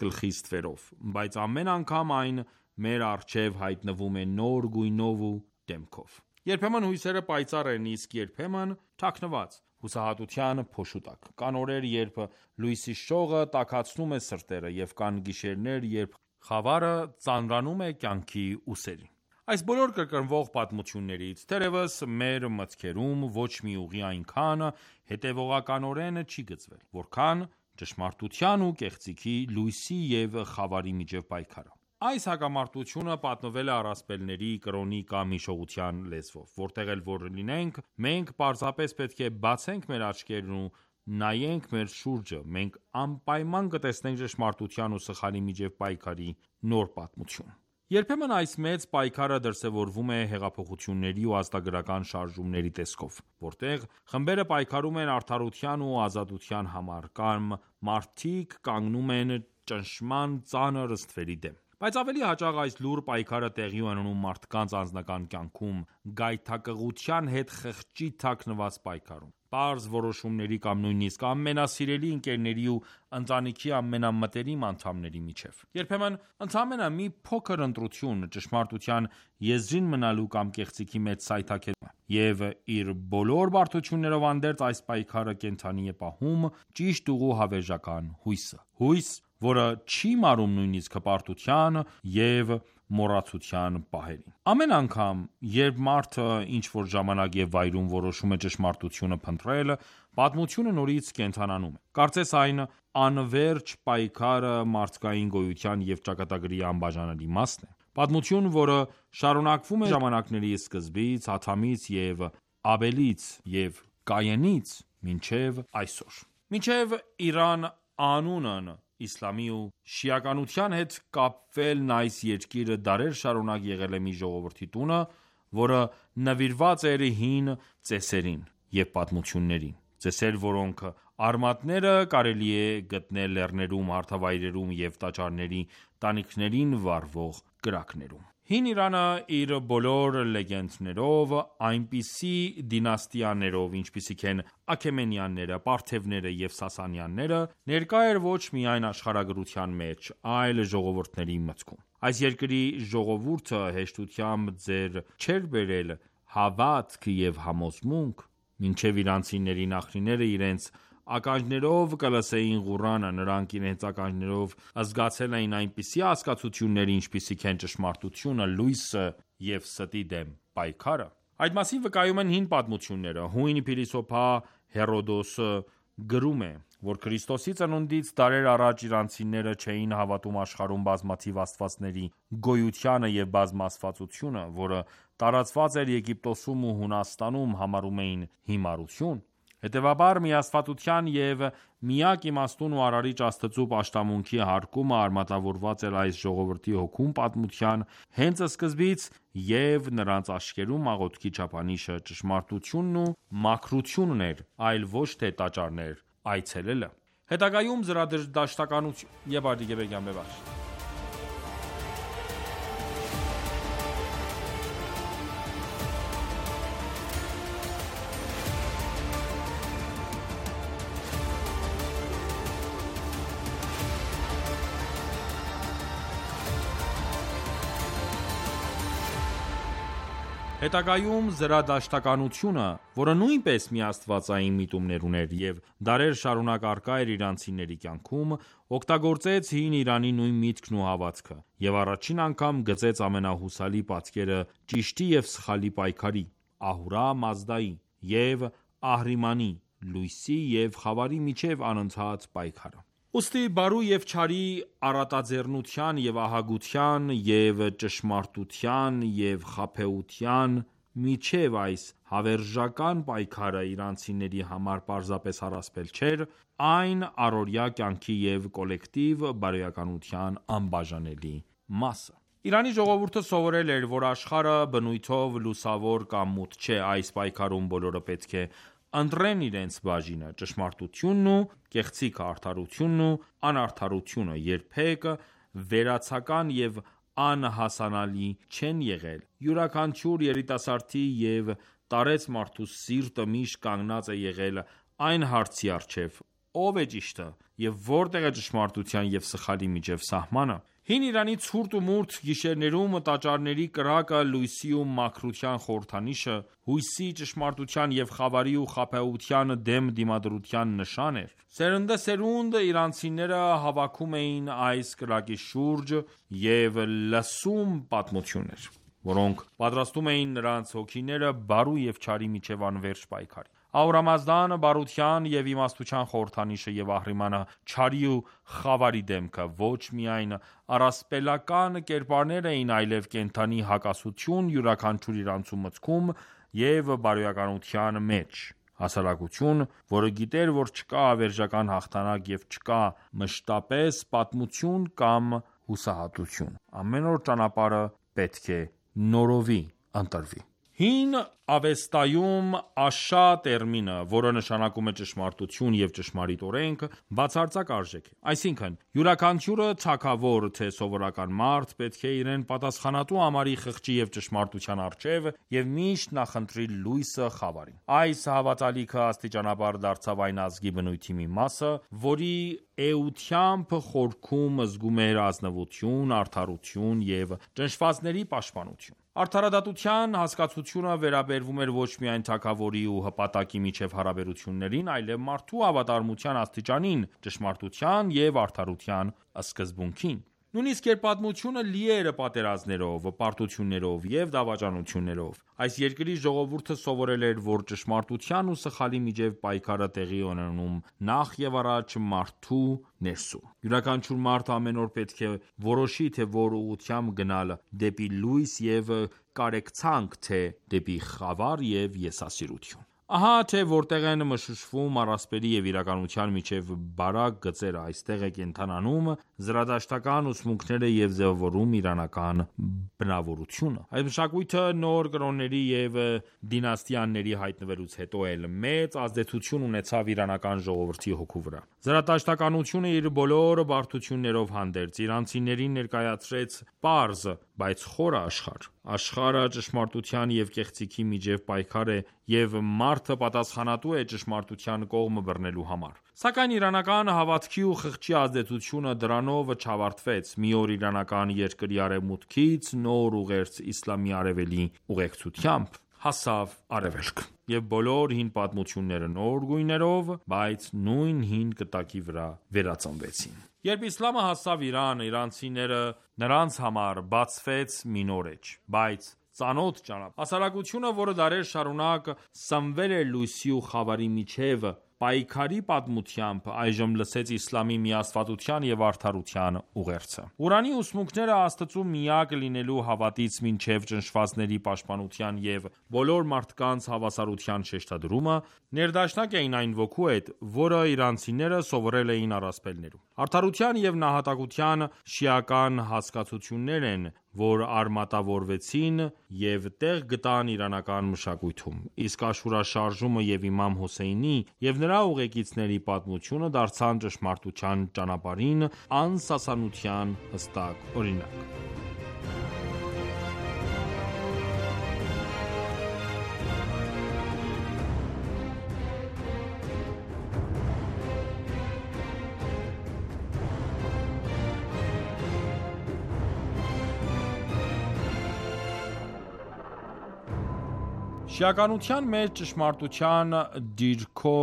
գլխի ստվերով, բայց ամեն անգամ այն մեր առջև հայտնվում է նոր գույնով ու դեմքով։ Երբեմն հույսերը պայծառ են, իսկ երբեմն թաքնված, հուսահատության փոշու տակ։ Կան օրեր, երբ լույսի շողը տաքացնում է սրտերը, և կան գիշերներ, երբ խավարը ծանրանում է կյանքի ուսերին։ Այս բոլոր կրկնվող պատմություններից, թերևս, մեր մտքերում ոչ մի ուղի այնքան հետևողականորեն չի գծվել, որքան ճշմարտության ու կեղծիքի, լույսի և խավարի միջև պայքարը։ Այս հակամարտությունը պատմվել է առասպելների, կրոնի կամ հիշողության լեզվով։ Որտեղ էլ որ լինենք, մենք պարզապես պետք է բացենք մեր աչքերն ու նայենք մեր շուրջը, մենք անպայման կտեսնենք ճշմարտության ու սխալի միջև պայքարի նոր պատմություն։ Երբեմն այս մեծ պայքարը դրսևորվում է հեղափոխությունների ու ազատագրական շարժումների տեսքով, որտեղ խմբերը պայքարում են արդարության ու ազատության համար, կամ մարդիկ կանգնում են ճնշման ծանր ստվերի դեմ։ Բայց ավելի հաճախ այս լուռ պայքարը տեղի է ունենում մարդկանց անձնական կյանքում, գայթակղության հետ խղճի թաքնված պայքարում, պարզ որոշումների կամ նույնիսկ ամենասիրելի ընկերների ու ընտանիքի ամենամտերիմ անդամների միջև։ Երբեմն ընդամենը մի փոքր ընտրություն, ճշմարտության եզրին մնալու կամ կեղծիքի մեջ սայթաքելու և իր բոլոր բարդություններով հանդերձ այս պայքարը կենդանի է պահում ճիշտ ուղու հավերժական հույսը։ Հույս, որը չի մարում նույնիսկ հպարտության և մոռացության պահերին։ Ամեն անգամ, երբ մարդը ինչ-որ ժամանակ և վայրում որոշում է ճշմարտությունը փնտրել, պատմությունը նորից կենդանանում է։ Կարծես այն անվերջ պայքարը մարդկային գոյության և ճակատագրի անբաժանելի մասն է։ Պատմություն, որը շարունակվում է ժամանակների սկզբից, Ադամից և Աբելից և Կայենից մինչև այսօր։ Մինչև Իրան անունն իսլամի ու շիականության հետ կապվելն այս երկիրը դարեր շարունակ եղել է մի ժողովրդի տունը, որը նվիրված էր հին ծեսերին և պատմություններին, ծեսեր, որոնք արմատները կարելի է գտնել լեռներում, հարթավայրերում և տաճարների տանիքներին վառվող կրակներում։ Հին Իրանը իր բոլոր լեգենդներով, այնպիսի դինաստիաներով, ինչպիսիք են Աքեմենյանները, Պարթևները և Սասանյանները, ներկա էր ոչ միայն աշխարհագրության մեջ, այլ ժողովուրդների մտքում։ Այս երկրի ժողովուրդը հեշտությամբ ձեռ չէր բերել հավատք և համոզմունք, մինչև իրանցիների նախնիները իրենց ականջներով կլսեին Ղուրանը, նրանք իրենց ականջներով զգացել էին այնպիսի հասկացություններ, ինչպիսիք են ճշմարտությունը, լույսը և ստի դեմ պայքարը։ Այդ մասին վկայում են հին պատմությունները։ Հույն փիլիսոփա Հերոդոսը գրում է, որ Քրիստոսի ծնունդից դարեր առաջ իրանցիները չէին հավատում աշխարհում բազմաթիվ աստվածների գոյությանը և բազմաստվածությունը, որը տարածված էր Եգիպտոսում ու Հունաստանում, համարում էին հիմարություն։ Հետևաբար, միաստվածության և միակ իմաստուն ու արարիչ Աստծու պաշտամունքի հարկումը արմատավորված էր այս ժողովրդի հոգում պատմության հենց սկզբից, և նրանց աչքերում աղոթքի չափանիշը ճշմարտությունն ու մաքրությունն էր, այլ ոչ թե տաճարներ այցելելը։ Հետագայում զրադաշտականություն Հետագայում զրադաշտականությունը, որը նույնպես միաստվածային միտումներ ուներ և դարեր շարունակ առկա էր իրանցիների կյանքում, օգտագործեց հին Իրանի նույն միտքն ու հավատքը, և առաջին անգամ գծեց ամենահուսալի պատկերը ճիշտի և սխալի պայքարի՝ Ահուրա Մազդայի և Ահրիմանի, լույսի և խավարի միջև անընդհատ պայքարը։ Ուստի բարու և չարի առատաձեռնության և ահագության և ճշմարտության և խաբեության միջև այս հավերժական պայքարը իրանցիների համար պարզապես առասպել չէր, այն առօրյա կյանքի և կոլեկտիվ բարոյականության անբաժանելի մասը։ Իրանի ժողովուրդը սովորել էր, որ աշխարհը բնույթով լուսավոր կամ մութ չէ։ Այս պայքարում բոլորը պետք է ընտրեն իրենց բաժինը։ Ճշմարտությունն ու կեղծիքը, արդարությունն ու անարդարությունը երբեք վերացական և անհասանալի չեն եղել։ Յուրաքանչյուր երիտասարդի և տարեց մարդու սիրտը միշտ կանգնած է եղել այն հարցի առջև՝ ով է ճիշտը եւ որտեղ է ճշմարտության եւ սխալի միջև սահմանը։ Հին Իրանի ցուրտ ու մուրթ գիշերներում տաճարների կրակը լույսի ու մաքրության խորհրդանիշը, հույսի, ճշմարտության եւ խավարի ու խաբեության դեմ դիմադրության նշան էր։ Սերնդեսերունդ իրանցիները հավաքում էին այս կրակի շուրջ եւ լսում պատմություններ, որոնք պատրաստում էին նրանց հոգիները բարու եւ չարի միջև անվերջ պայքարի։ Ahուրամազդան բարության եւ իմաստության խորհրդանիշը եւ Ահրիմանը չարի ու խավարի դեմքը ոչ միայն առասպելական կերպարներ էին, այլև կենդանի հակասություն յուրաքանչյուր իրանցու մտքում եւ բարոյականության մեջ։ Հասարակություն, որը գիտեր, որ չկա ավերժական հաղթանակ եւ չկա մշտապես պատմություն կամ հուսահատություն։ Ամեն օր ճանապարհը պետք է նորովի ընտրվի։ Հին Ավեստայում Աշա տերմինը, որը նշանակում է ճշմարտություն եւ ճշմարիտ օրենք, բացարձակ արժեք է։ Այսինքն, յուրաքանչյուրը թագավոր թե սովորական մարդ պետք է իրեն պատասխանատու համարի խղճի եւ ճշմարտության առջև եւ միշտ նախընտրի լույսը խավարին։ Այս հավատալիքը աստիճանաբար դարձավ այն ազգի բնույթի մի մասը, որի էությամբ խորքում զգում էր ազնվություն, արդարություն եւ ճնշվածների պաշտպանություն։ Արդարադատության հասկացությունը վերաբերվում էր ոչ միայն թագավորի ու հպատակի միջև հարաբերություններին, այլև մարդու հավատարմության աստիճանին, ճշմարտության եւ արդարության սկզբունքին։ Նույնիսկ երբ պատմությունը լի էր պատերազմներով, պարտություններով եւ դավաճանություններով, այս երկրի ժողովուրդը սովորել էր, որ ճշմարտության ու սխալի միջև պայքարը տեղի է ունենում նախ եւ առաջ մարդու ներսում։ Յուրաքանչյուր մարդ ամեն օր պետք է որոշի, թե որ ուղղությամբ գնալ՝ դեպի լույս եւ կարեկցանք, թե դեպի խավար եւ եսասիրություն։ Ահա թե որտեղ են մշուշվում առասպելի եւ իրականության միջև բարակ գծերը, այստեղ է կենդանանում զրադաշտական ուսմունքները եւ ձևավորում իրանական բնավորությունը։ Այս մշակույթը նոր կրոնների եւ դինաստիաների հայտնվելուց հետո էլ մեծ ազդեցություն ունեցավ իրանական ժողովրդի հոգու վրա։ Զրադաշտականությունը իր բոլոր բարդություններով հանդերձ իրանցիներին ներկայացրեց պարզ, բայց խորը աշխարհ։ Աշխարհը ճշմարտության եւ կեղծիքի միջև պայքար է եւ մարդը պատասխանատու է ճշմարտության կողմը բռնելու համար։ Սակայն իրանական հավատքի ու խղճի ազդեցությունը դրանով չավարտվեց։ Մի օր իրանական երկրի արևմուտքից նոր ուղերձ իսլամի արևելի ուղեկցությամբ հասավ արևելք, եւ բոլոր հին պատմությունները նոր գույներով, բայց նույն հին կտակի վրա վերածնվեցին։ Երբ իսլամը հասավ Իրան, իրանցիները նրանց համար բացվեց մի նոր էջ, բայց ծանոթ ճանապարհ։ Հասարակությունը, որը դարեր շարունակ սնվել էր լույսի ու խավարի միջև պայքարի պատմությամբ, այժմ լսեց իսլամի միաստվածության եւ արդարության ուղերձը։ Ղուրանի ուսմունքները Աստծու միակ լինելու հավատից մինչև ճնշվածների պաշտպանության եւ բոլոր մարդկանց հավասարության շեշտադրումը ներդաշնակ էին այն ոգու հետ, որը իրանցիները սովորել էին առասպելներում։ Արդարության եւ նահատակության շիական հասկացություններ են, որ արմատավորվեցին եւ տեղ գտան իրանական մշակույթում։ Իսկ Աշուրա շարժումը եւ Իմամ Հոսեյնի եւ նրա ուղեկիցների պատմությունը դարձան ճշմարտության ճանապարհին անսասանության հստակ օրինակ։ Շիականության մեջ ճշմարտության դիրքո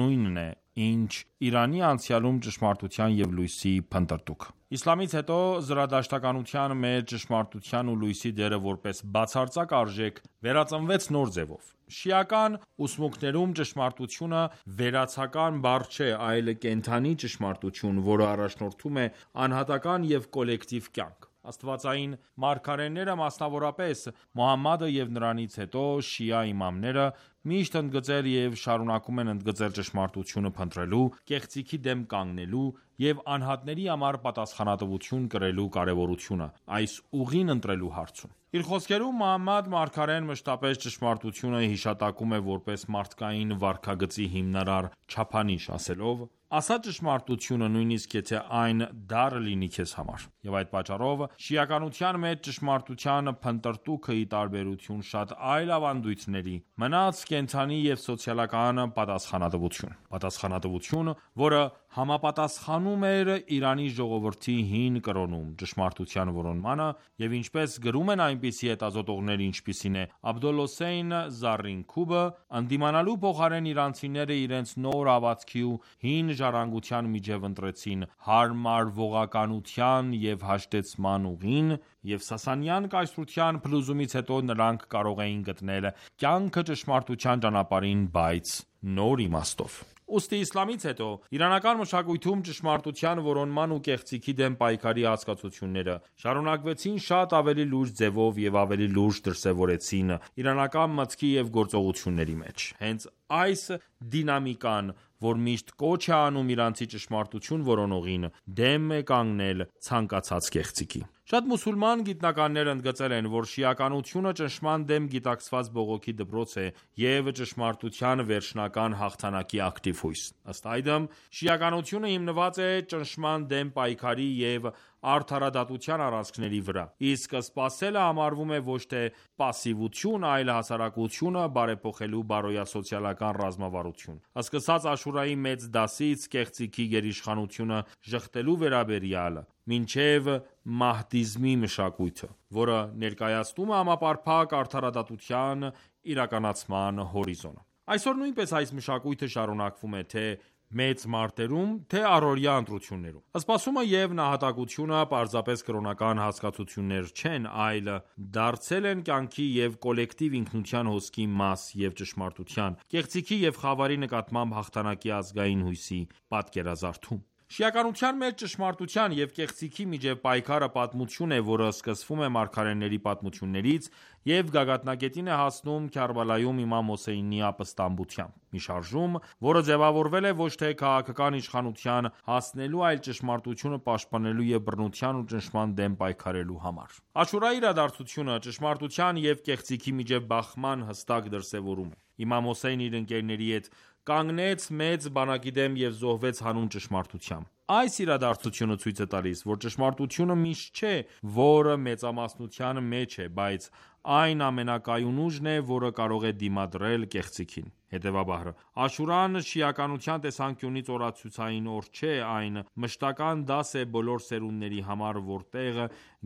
նույնն է, ինչ Իրանի անցյալում ճշմարտության եւ լույսի փնտրտուք։ Իսլամից հետո զրադաշտականության մեջ ճշմարտության ու լույսի դերը որպես բացարձակ արժեք վերածնվեց նոր ձևով։ Շիական ուսմունքներում ճշմարտությունը վերացական բառ չէ, այլ կենդանի ճշմարտություն, որը առաջնորդում է անհատական եւ կոլեկտիվ կյանք։ Աստվածային մարգարեները, մասնավորապես Մոհամմադը եւ նրանից հետո շիա իմամները միշտ ընդգծել եւ շարունակում են ընդգծել ճշմարտությունը փնտրելու, կեղծիքի դեմ կանգնելու եւ անհատների համար պատասխանատվություն կրելու կարեւորությունը այս ուղին ընտրելու հարցում։ Իր խոսքերում Մոհամմադ մարգարեն մշտապես ճշմարտությունը հիշատակում է որպես մարդկային վարքագծի հիմնարար չափանիշ, ասելով. «Ասա ճշմարտությունը, նույնիսկ եթե այն դառը լինի քեզ համար»։ Եվ այդ պատճառով շիականության մեջ ճշմարտության փնտրտուքը, ի տարբերություն շատ այլ ավանդույթների, մնաց կենդանի եւ սոցիալական պատասխանատվություն։ Պատասխանատվություն, որը համապատասխանում էր Իրանի ժողովրդի հին կրոնում ճշմարտության որոնմանը, և ինչպես գրում են այնպիսի հետազոտողներ, ինչպիսին է Աբդոլհոսեյն Զարինքուբը, ընդդիմանալու փոխարեն իրանցիները իրենց նոր հավատքի ու հին ժառանգության միջև ընտրեցին հարմարվողականության և հաշտեցման ուղին, և Սասանյան կայսրության փլուզումից հետո նրանք կարող էին գտնել կյանքը ճշմարտության ճանապարհին, բայց նոր իմաստով։ Ուստի իսլամից հետո իրանական մշակույթում ճշմարտության որոնման ու կեղծիքի դեմ պայքարի հասկացությունները շարունակվեցին շատ ավելի լուրջ ձևով և ավելի լուրջ դրսևորվեցին իրանական մտքի և գործողությունների մեջ։ Հենց այս դինամիկան, որ միշտ կոչ է անում իրանցի ճշմարտություն որոնողին, դեմ է կանգնել ցանկացած կեղծիքի։ Շատ մուսուլման գիտնականներ ընդգծել են, որ շիականությունը ճնշման դեմ գիտակցված բողոքի դպրոց է և ճշմարտության վերջնական հաղթանակի ակտիվ հույս։ Ըստ այդմ, շիականությունը հիմնված է ճնշման դեմ պայքարի և արդարադատության առանցքների վրա, իսկ սպասելը համարվում է ոչ թե պասիվություն, այլ հասարակությունը բարեփոխելու բարոյասոցիալական ռազմավարություն։ Սկսած Աշուրայի մեծ դասից կեղծիքի գերիշխանությունը ժխտելու վերաբերյալ, մինչև մահդիզմի մշակույթը, որը ներկայացնում է համապարփակ արդարադատության իրականացման հորիզոնը։ Այսօր նույնպես այս մշակույթը շարունակվում է թե մեծ մարտերում, թե առօրյա ընտրություններում։ Սպասումը և նահատակությունը պարզապես կրոնական հասկացություններ չեն, այլ դարձել են կյանքի և կոլեկտիվ ինքնության հոսքի մաս և ճշմարտության, կեղծիքի և խավարի նկատմամբ հաղթանակի ազգային հույսի պատկերազարդում։ Շիականության մեջ ճշմարտության և կեղծիքի միջև պայքարը պատմություն է, որը սկսվում է մարգարեների պատմություններից և գագաթնակետին է հասնում Քարբալայում իմամ Հոսեյնի ապստամբությամբ։ Մի շարժում, որը ձևավորվել է ոչ թե քաղաքական իշխանության հասնելու, այլ ճշմարտությունը պաշտպանելու և բռնության ու ճնշման դեմ պայքարելու համար։ Աշուրայի իրադարձությունը ճշմարտության և կեղծիքի միջև բախման հստակ դրսևորում է։ Իմամ Հոսեյնը իր ընկերների հետ կանգնեց մեծ բանակի դեմ և զոհվեց հանուն ճշմարտության։ Այս իրադարձությունը ցույց է տալիս, որ ճշմարտությունը միշտ չէ, որ մեծամասնության մեջ է, բայց այն ամենակայուն ուժն է, որը կարող է դիմադրել կեղծիքին։ Հետևաբար, Աշուրան շիականության տեսանկյունից օրացուցային օր չէ, այն մշտական դաս է բոլոր սերունդների համար, որտեղ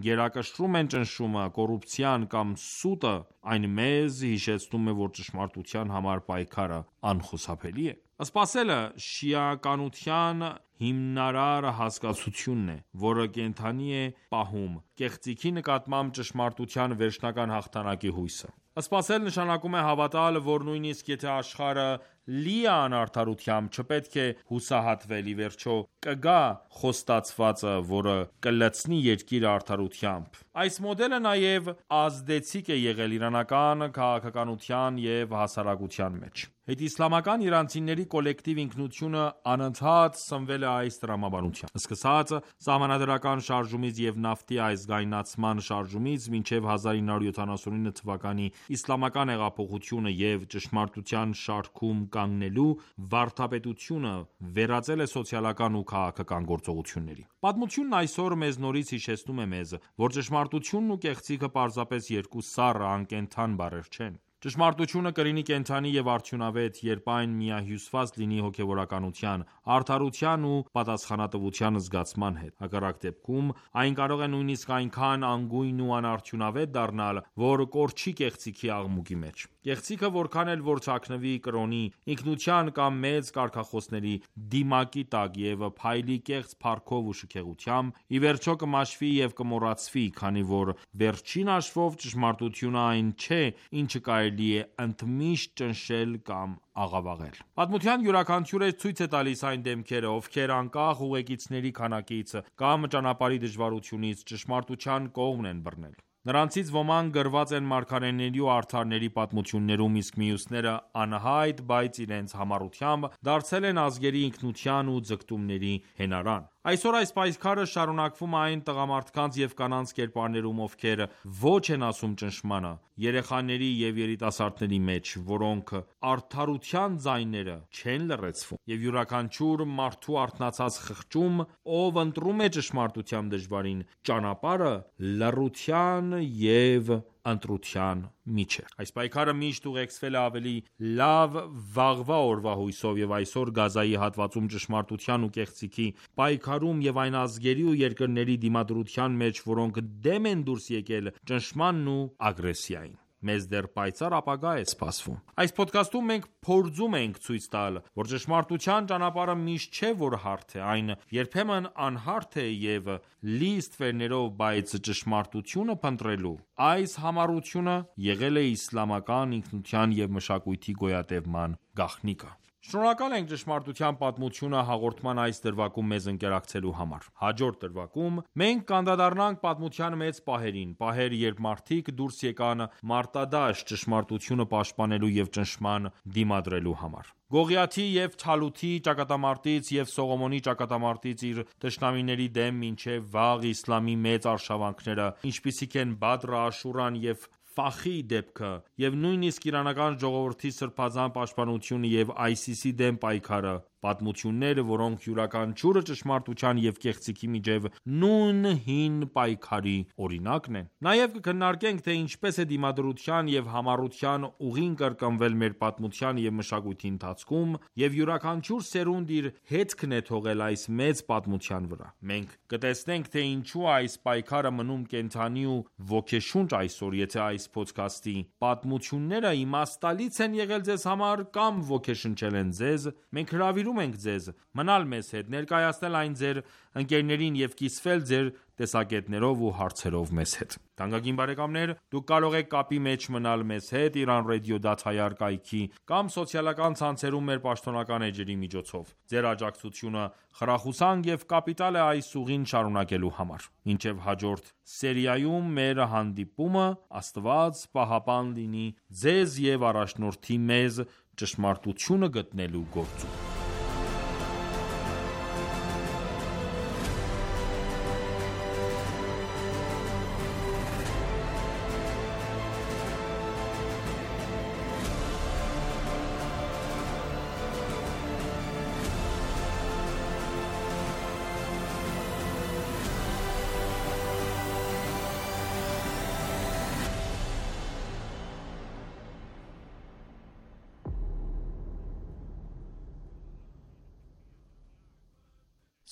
գերակշռում են ճնշումը, կոռուպցիան կամ սուտը, այն մեզ հիշեցնում է, որ ճշմարտության համար պայքարը անխուսափելի է։ Սպասելը շիականության հիմնարար հասկացությունն է, որը կենդանի է պահում կեղծիքի նկատմամբ ճշմարտության վերջնական հաղթանակի հույսը։ Սպասել նշանակում է հավատալ, որ նույնիսկ եթե աշխարհը լի է անարդարությամբ, չպետք է հուսահատվել, ի վերջո կգա խոստացվածը, որը կլցնի երկիրը արդարությամբ։ Այս մոդելը նաև ազդեցիկ է եղել իրանական քաղաքականության և հասարակության մեջ։ Հետիսլամական իրանցիների կոլեկտիվ ինքնությունը անընդհատ սնվել է այս տրամաբանությամբ։ Սկսած սահմանադրական շարժումից և նավթի ազգայնացման շարժումից մինչև 1979 թվականի իսլամական հեղափոխությունը և ճշմարտության շարքում կանգնելու վարդապետությունը վերածել է սոցիալական ու քաղաքական գործողությունների։ Պատմությունն այսօր մեզ նորից հիշեցնում է մեզ, որ ճշմարտությունն ու կեղծիքը պարզապես երկու սառը, անկենդան բառեր չեն։ Ճշմարտությունը կլինի կենդանի և արդյունավետ, երբ այն միահյուսված լինի հոգևորականության, արդարության ու պատասխանատվության զգացման հետ։ Հակառակ դեպքում, այն կարող է նույնիսկ այնքան անգույն ու անարդյունավետ դառնալ, որ կորչի կեղծիքի աղմուկի մեջ։ Կեղծիքը որքան էլ որ թաքնվի կրոնի, ինքնության կամ մեծ կարգախոսների դիմակի տակ և փայլի կեղծ փառքով ու շքեղությամբ, ի վերջո կմաշվի և կմոռացվի, քանի որ վերջին հաշվով ճշմարտությունը այն չէ, ինչը կարելի է ընդմիշտ ճնշել կամ աղավաղել։ Պատմության յուրաքանչյուրը ցույց է տալիս այն դեմքերը, ովքեր անկախ ուղեկիցների քանակից կամ ճանապարհի դժվարությունից ճշմարտության կողմն են բռնել։ Նրանցից ոմանք գրված են մարգարեների ու արդարների պատմություններում, իսկ մյուսները անհայտ, բայց իրենց համառությամբ դարձել են ազգերի ինքնության ու ձգտումների հենարան։ Այսօր այս պայքարը շարունակվում է այն տղամարդկանց և կանանց կերպարներում, ովքեր ոչ են ասում ճնշմանը, երեխաների և երիտասարդների մեջ, որոնք արդարության ձայները չեն լռեցվում, և յուրաքանչյուր մարդու արթնացած խղճում, ով ընտրում է ճշմարտության դժվարին ճանապարհը, լռության և ընտրության միջև։ Այս պայքարը միշտ ուղեկցվել է ավելի լավ վաղվա օրվա հույսով, և այսօր Գազայի հատվածում ճշմարտության ու կեղծիքի պայքարում և այն ազգերի ու երկրների դիմադրության մեջ, որոնք դեմ են դուրս եկել ճնշմանն ու ագրեսիային։ Մեզ դեռ պայծառ ապագա է սպասվում։ Այս փոդքասթում մենք փորձում ենք ցույց տալ, որ ճշմարտության ճանապարհը միշտ չէ, որ հարթ է, այն երբեմն անհարթ է և լի ստվերներով, բայց ճշմարտությունը փնտրելու այս համառությունը եղել է իսլամական ինքնության և մշակույթի գոյատևման գաղտնիքը։ Շնորհակալ ենք «Ճշմարտության պատմությունը» հաղորդման այս դրվագում մեզ ընկերակցելու համար։ Հաջորդ դրվագում մենք կանդրադառնանք պատմության մեծ պահերին, պահեր, երբ մարդիկ դուրս եկան մարտադաշտ ճշմարտությունը պաշտպանելու և ճնշման դիմադրելու համար։ Գողիաթի և Թալութի ճակատամարտից և Սողոմոնի ճակատամարտից իր թշնամիների դեմ մինչև վաղ իսլամի մեծ արշավանքները, ինչպիսիք են Բադրը, Աշուրան և Ֆախի դեպքը, և նույնիսկ իրանական ժողովրդի սրբազան պաշտպանությունը և ISIS-ի դեմ պայքարը, պատմություններ, որոնք յուրաքանչյուրը ճշմարտության և կեղծիքի միջև նույն հին պայքարի օրինակն են։ Նաև կքննարկենք, թե ինչպես է դիմադրության և համառության ուղին կրկնվել մեր պատմության և մշակույթի ընթացքում, և յուրաքանչյուր սերունդ իր հետքն է թողել այս մեծ պատմության վրա։ Մենք կտեսնենք, թե ինչու է այս պայքարը մնում կենդանի ու ոգեշունչ այսօր։ Եթե այս փոդքասթի պատմությունները իմաստալից են եղել ձեզ համար կամ ոգեշնչել են ձեզ, մենք հրավիրում ենք ձեզ մնալ մեզ հետ, ներկայացնել այն ձեր ընկերներին և կիսվել ձեր տեսակետներով ու հարցերով մեզ հետ։ Թանկագին բարեկամներ, դուք կարող եք կապի մեջ մնալ մեզ հետ iranradio.ir կայքի կամ սոցիալական ցանցերում մեր պաշտոնական էջերի միջոցով։ Ձեր աջակցությունը խրախուսանք և կապիտալ է այս ուղին շարունակելու համար։ Մինչև հաջորդ սերիայում մեր հանդիպումը, Աստված պահապան լինի ձեզ և առաջնորդի մեզ ճշմարտությունը գտնելու գործում։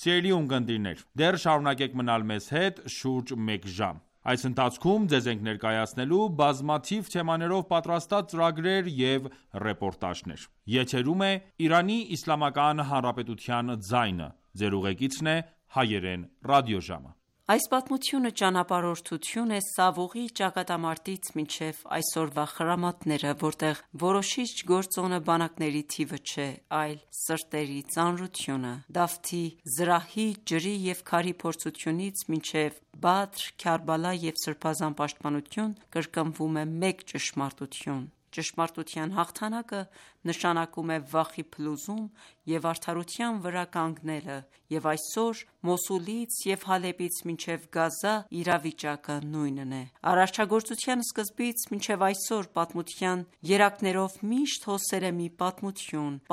Սիրելի ունկնդիրներ, դեռ շարունակեք մնալ մեզ հետ շուրջ մեկ ժամ։ Այս ընթացքում ձեզ ենք ներկայացնելու բազմաթիվ թեմաներով պատրաստած ծրագրեր և ռեպորտաժներ։ Եթերում է Իրանի Իսլամական Հանրապետության ձայնը։ Ձեր ուղեկիցն է Հայերեն ռադիոժամը։ Այս պատմությունը ճանապարհորդություն է Սավուղի ճակատամարտից մինչև այսօրվա խրամատները, որտեղ որոշիչ գործոնը բանակների թիվը չէ, այլ սրտերի ծանրությունը։ Դավթի, զրահի, ջրի և քարի փորձությունից մինչև Բադր, Քարբալա և սրբազան պաշտպանություն կրկնվում է մեկ ճշմարտություն։ Ճշմարտության հաղթանակը նշանակում է վախի փլուզում և արդարության վրա կանգնելը, և այսօր Մոսուլից և Հալեպից մինչև Գազա իրավիճակը նույնն է։ Արարչագործության սկզբից մինչև այսօր պատմության երակներով միշտ հոսել է մի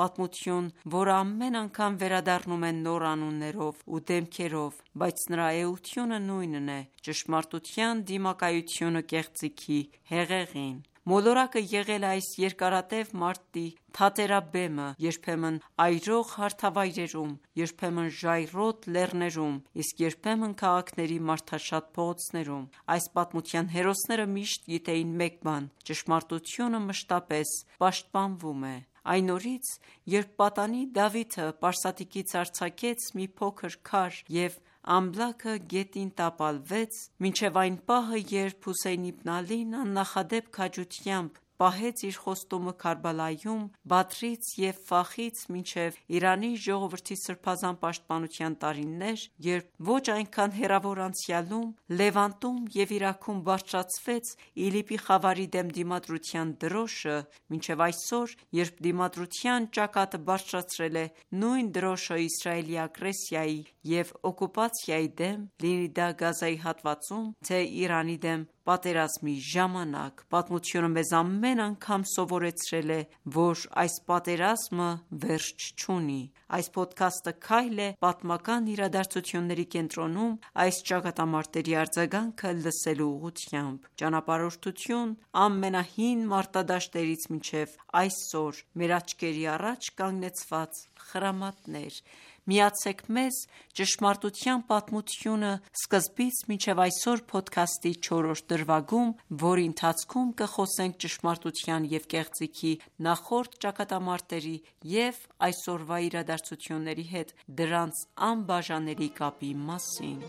պատմություն, որը ամեն անգամ վերադառնում է նոր անուններով ու դեմքերով, բայց նրա էությունը նույնն է՝ ճշմարտության դիմակայությունը կեղծիքի հեղեղին։ Մոլորակը եղել է այս երկարատև մարտի թատերաբեմը, երբեմն այրող հարթավայրերում, երբեմն ժայռոտ լեռներում, իսկ երբեմն քաղաքների մարդաշատ փողոցներում։ Այս պատմության հերոսները միշտ գիտեին մեկ բան՝ ճշմարտությունը մշտապես պաշտպանվում է։ Այն օրից, երբ պատանի Դավիթը պարսատիկից արձակեց մի փոքր քար և ամբլաքը գետին տապալվեց, մինչև այն պահը, երբ Հոսեյն իբն Ալին աննախադեպ քաջությամբ պահեց իր խոստումը Քարբալայում, Բադրից և Ֆախից մինչև Իրանի ժողովրդի սրբազան պաշտպանության տարիներ, երբ ոչ այնքան հեռավոր անցյալում, Լևանտում և Իրաքում բարձրացվեց ԻԼԻՊ-ի խավարի դեմ դիմադրության դրոշը, մինչև այսօր, երբ դիմադրության ճակատը բարձրացրել է նույն դրոշը Իսրայելի ագրեսիայի և օկուպացիայի դեմ, լինի դա Գազայի հատվածում, թե Իրանի դեմ պատերազմի ժամանակ։ Պատմությունը մեզ ամեն անգամ սովորեցրել է, որ այս պատերազմը վերջ չունի։ Այս փոդքասթը քայլ է պատմական իրադարձությունների կենտրոնում այս ճակատամարտերի արձագանքը լսելու ուղղությամբ։ Ճանապարհորդություն ամենահին մարտադաշտերից մինչև այսօր մեր աչքերի առաջ կանգնեցված խրամատներ։ Միացեք մեզ «Ճշմարտության պատմությունը» սկզբից մինչև այսօր փոդքասթի 4-րդ դրվագում, որի ընթացքում կխոսենք ճշմարտության և կեղծիքի նախորդ ճակատամարտերի և այսօրվա իրադարձությունների հետ դրանց անբաժանելի կապի մասին։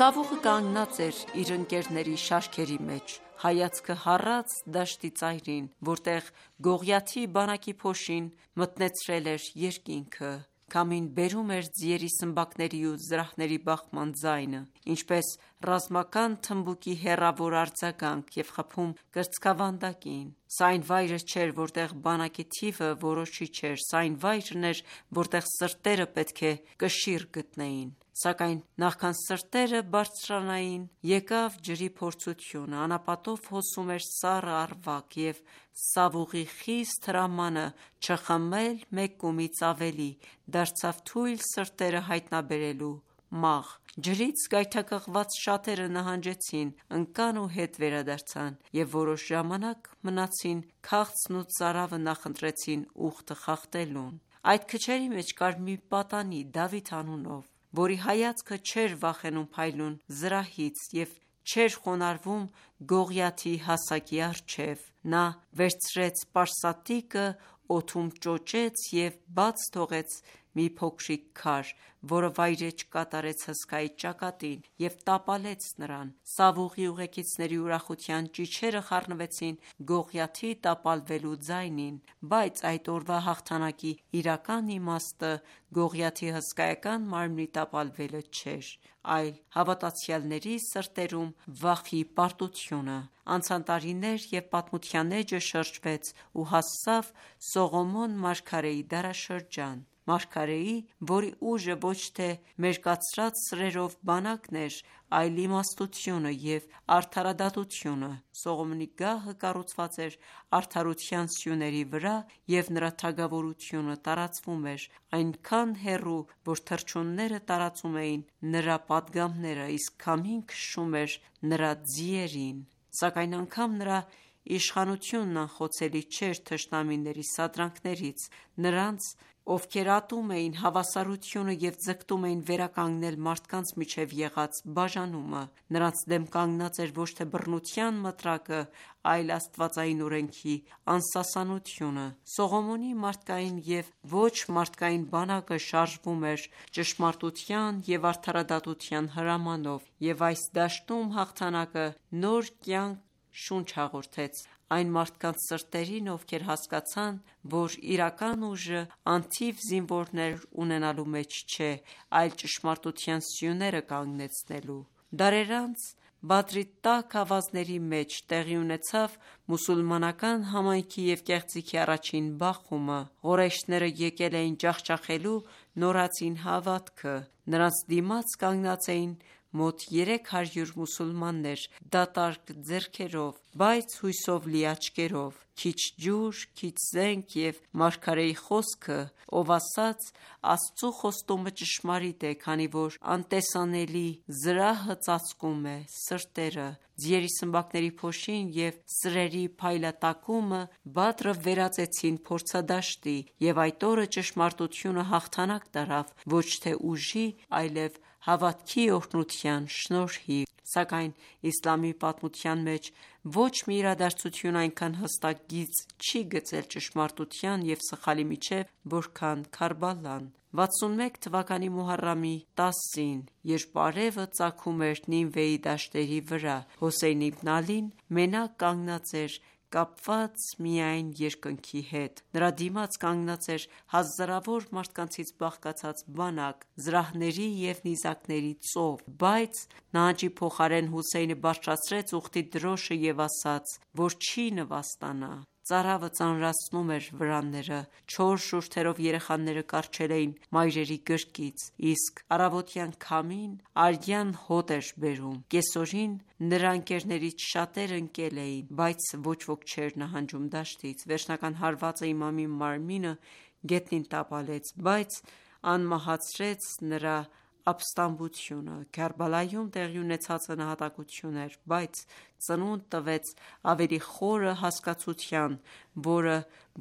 Սավուղը կանգնած էր իր ընկերների շարքերի մեջ, հայացքը հառած դաշտի ծայրին, որտեղ Գողիաթի բանակի փոշին մթնեցրել էր երկինքը։ Քամին բերում էր ձիերի սմբակների ու զրահների բախման ձայնը, ինչպես ռազմական թմբուկի հեռավոր արձագանք և խփում կրծքավանդակին։ Սա այն վայրը չէր, որտեղ բանակի թիվը որոշիչ էր, սա այն վայրն էր, որտեղ սրտերը պետք է կշիռ գտնեին։ Սակայն նախքան սրտերը բարձրանային, եկավ ջրի փորձությունը, անապատով հոսում էր սառը առվակ, և Սավուղի խիստ հրամանը չխմել մեկ կումից ավելի դարձավ թույլ սրտերը հայտնաբերելու մաղ։ Ջրից գայթակղված շատերը նահանջեցին, ընկան ու հետ վերադարձան և որոշ ժամանակ մնացին քաղցն ու ծարավը նախընտրեցին ուխտը խախտելուն։ Այդ քչերի մեջ կար մի պատանի Դավիթ անունով, որի հայացքը չէր վախենում փայլուն զրահից և չէր խոնարհվում Գողիաթի հասակի առջև։ Նա վերցրեց պարսատիկը, օդում ճոճեց և բաց թողեց մի փոքրիկ քար, որը վայրէջք կատարեց հսկայի ճակատին և տապալեց նրան։ Սավուղի ուղեկիցների ուրախության ճիչերը խառնվեցին Գողիաթի տապալվելու ձայնին, բայց այդ օրվա հաղթանակի իրական իմաստը Գողիաթի հսկայական մարմնի տապալվելը չէր, այլ հավատացյալների սրտերում վախի պարտությունը։ Անցան տարիներ, և պատմության էջը շրջվեց ու հասավ Սողոմոն մարգարեի դարաշրջան։ Մարգարեի, որի ուժը ոչ թե մերկացրած սրերով բանակն էր, այլ իմաստությունը և արդարադատությունը։ Սողոմոնի գահը կառուցված էր արդարության սյուների վրա, և նրա թագավորությունը տարածվում էր այնքան հեռու, որ թռչունները տարածում էին նրա պատգամները, իսկ քամին քշում էր նրա ձիերին։ Սակայն անգամ նրա իշխանությունն անխոցելի չէր թշնամիների սադրանքներից, նրանց, ովքեր ատում էին հավասարությունը և ձգտում էին վերականգնել մարդկանց միջև եղած բաժանումը։ Նրանց դեմ կանգնած էր ոչ թե բռնության մտրակը, այլ աստվածային օրենքի անսասանությունը։ Սողոմոնի մարդկային և ոչ մարդկային բանակը շարժվում էր ճշմարտության և արդարադատության հրամանով, և այս դաշտում հաղթանակը նոր կյանք շունչ հաղորդեց այն մարդկանց սրտերին, ովքեր հասկացան, որ իրական ուժը անթիվ զինվորներ ունենալու մեջ չէ, այլ ճշմարտության սյուները կանգնեցնելու։ Դարեր անց Բադրի տաք ավազների մեջ տեղի ունեցավ մուսուլմանական համայնքի և կեղծիքի առաջին բախումը։ Ղորեյշները եկել էին ջախջախելու նորածին հավատքը։ Նրանց դիմաց կանգնած էին մոտ 300 մուսուլմաններ դատարկ ձեռքերով, բայց հույսով լի աչքերով։ Քիչ ջուր, քիչ զենք և մարգարեի խոսքը, ով ասաց. «Աստծու խոստումը ճշմարիտ է, քանի որ անտեսանելի զրահը ծածկում է սրտերը»։ Ձիերի սմբակների փոշին և սրերի փայլատակումը Բադրը վերածեցին փորձադաշտի, և այդ օրը ճշմարտությունը հաղթանակ տարավ ոչ թե ուժի, այլև հավատքի օրհնության շնորհիվ։ Սակայն իսլամի պատմության մեջ ոչ մի իրադարձություն այնքան հստակ գիծ չի գծել ճշմարտության և սխալի միջև, որքան Քարբալան։ 61 թվականի Մոհարրամի 10-ին, երբ արևը ծագում էր Նինվեի դաշտերի վրա, Հոսեյն իբն Ալին մենակ կանգնած էր կապված միայն երկնքի հետ։ Նրա դիմաց կանգնած էր հազարավոր մարդկանցից բաղկացած բանակ, զրահների և նիզակների ծով, բայց նահանջի փոխարեն Հուսեյնը բարձրացրեց ուխտի դրոշը և ասաց, որ չի նվաստանա։ Ծարավը ծանրացնում էր վրանները, չոր շուրթերով երեխաները կառչել էին մայրերի գրկից, իսկ առավոտյան քամին արյան հոտ էր բերում։ Կեսօրին նրա ընկերներից շատերը ընկել էին, բայց ոչ ոք չէր նահանջում դաշտից։ Վերջնական հարվածը իմամի մարմինը գետնին տապալեց, բայց անմահացրեց նրա ապստամբությունը։ Քարբալայում տեղի ունեցածը նահատակություն էր, բայց ծնունդ տվեց ավելի խորը հասկացության, որը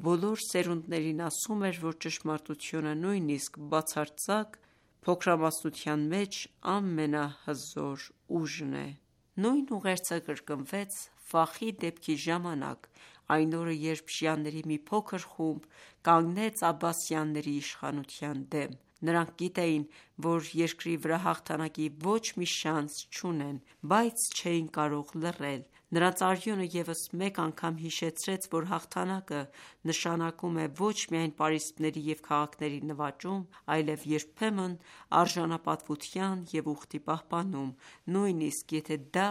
բոլոր սերունդներին ասում էր, որ ճշմարտությունը, նույնիսկ բացարձակ փոքրամասնության մեջ, ամենահզոր ուժն է։ Նույն ուղերձը կրկնվեց Ֆախի դեպքի ժամանակ, այն օրը, երբ շիաների մի փոքր խումբ կանգնեց աբբասյանների իշխանության դեմ։ Նրանք գիտեին, որ երկրի վրա հաղթանակի ոչ մի շանս չունեն, բայց չէին կարող լռել։ Նրանց արյունը ևս մեկ անգամ հիշեցրեց, որ հաղթանակը նշանակում է ոչ միայն պարիսպների և քաղաքների նվաճում, այլև երբեմն արժանապատվության և ուխտի պահպանում, նույնիսկ եթե դա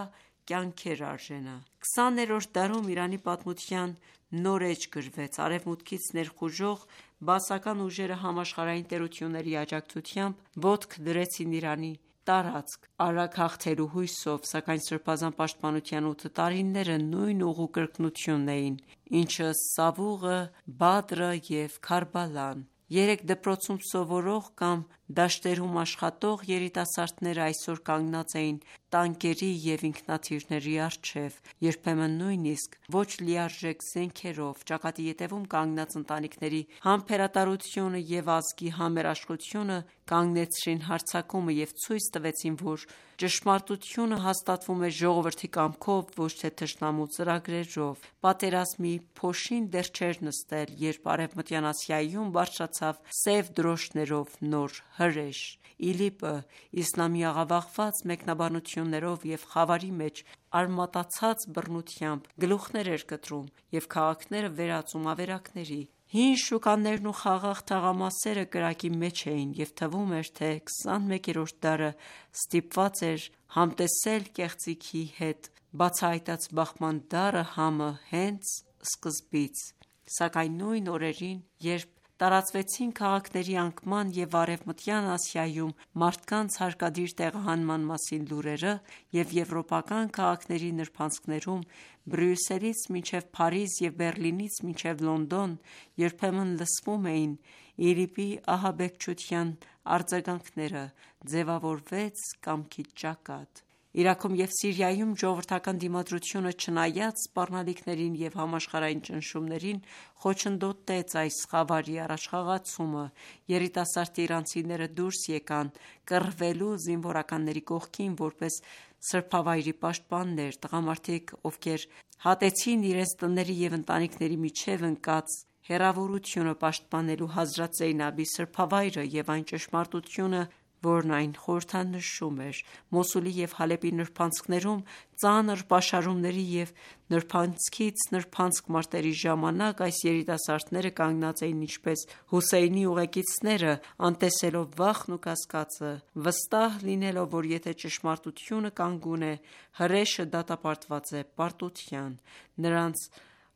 կյանքեր արժենա։ 20-րդ դարում Իրանի պատմության նոր էջ գրվեց։ Արևմուտքից ներխուժող բաասական ուժերը համաշխարհային տերությունների աջակցությամբ ոտք դրեցին Իրանի տարածք արագ հաղթելու հույսով, սակայն Սրբազան պաշտպանության 8 տարիները նույն ուղու կրկնությունն էին, ինչը Սավուղը, Բադրը և Քարբալան։ Երեք դպրոցում սովորող կամ դաշտերում աշխատող երիտասարդները այսօր կանգնած էին տանկերի և ինքնաթիռների առջև, երբեմն նույնիսկ ոչ լիարժեք զենքերով։ Ճակատի ետևում կանգնած ընտանիքների համբերատարությունը և ազգի համերաշխությունը կանգնեցրին հարձակումը և ցույց տվեցին, որ ճշմարտությունը հաստատվում է ժողովրդի կամքով, ոչ թե թշնամու ծրագրերով։ Պատերազմի փոշին դեռ չէր նստել, երբ Արևմտյան Ասիայում բարձրացավ սև դրոշներով նոր հրեշ։ ԻԼԻՊ-ը իսլամի աղավաղված մեկնաբանություններով և խավարի մեջ արմատացած բռնությամբ գլուխներ էր կտրում և քաղաքները վերածում ավերակների։ Հին շուկաներն ու խաղաղ թաղամասերը կրակի մեջ էին, և թվում էր, թե 21-րդ դարը ստիպված էր համտեսել կեղծիքի հետ։ Բացահայտած բախման դառը համը հենց սկզբից։ Սակայն նույն օրերին, երբ տարածվեցին քաղաքների անկման և Արևմտյան Ասիայում մարդկանց հարկադիր տեղահանման մասին լուրերը, և եվրոպական քաղաքների նրբանցքներում Բրյուսելից մինչև Փարիզ և Բեռլինից մինչև Լոնդոն երբեմն լսվում էին ԻԼԻՊ-ի ահաբեկչության արձագանքները, ձևավորվեց կամքի ճակատ։ Իրաքում և Սիրիայում ժողովրդական դիմադրությունը, չնայած սպառնալիքներին և համաշխարհային ճնշումներին, խոչընդոտեց այս խավարի առաջխաղացումը։ Երիտասարդ իրանցիները դուրս եկան կռվելու զինվորականների կողքին որպես սրբավայրի պաշտպաններ։ Տղամարդիկ, ովքեր հատեցին իրենց տների և ընտանիքների միջև ընկած հեռավորությունը՝ պաշտպանելու Հազրաթ Զեյնաբի սրբավայրը և այն ճշմարտությունը, որն այն խորհրդանշում էր։ Մոսուլի և Հալեպի նրբանցքներում ծանր պաշարումների և նրբանցքից նրբանցք մարտերի ժամանակ այս երիտասարդները կանգնած էին ինչպես Հուսեյնի ուղեկիցները, անտեսելով վախն ու կասկածը, վստահ լինելով, որ եթե ճշմարտությունը կանգուն է, հրեշը դատապարտված է պարտության։ Նրանց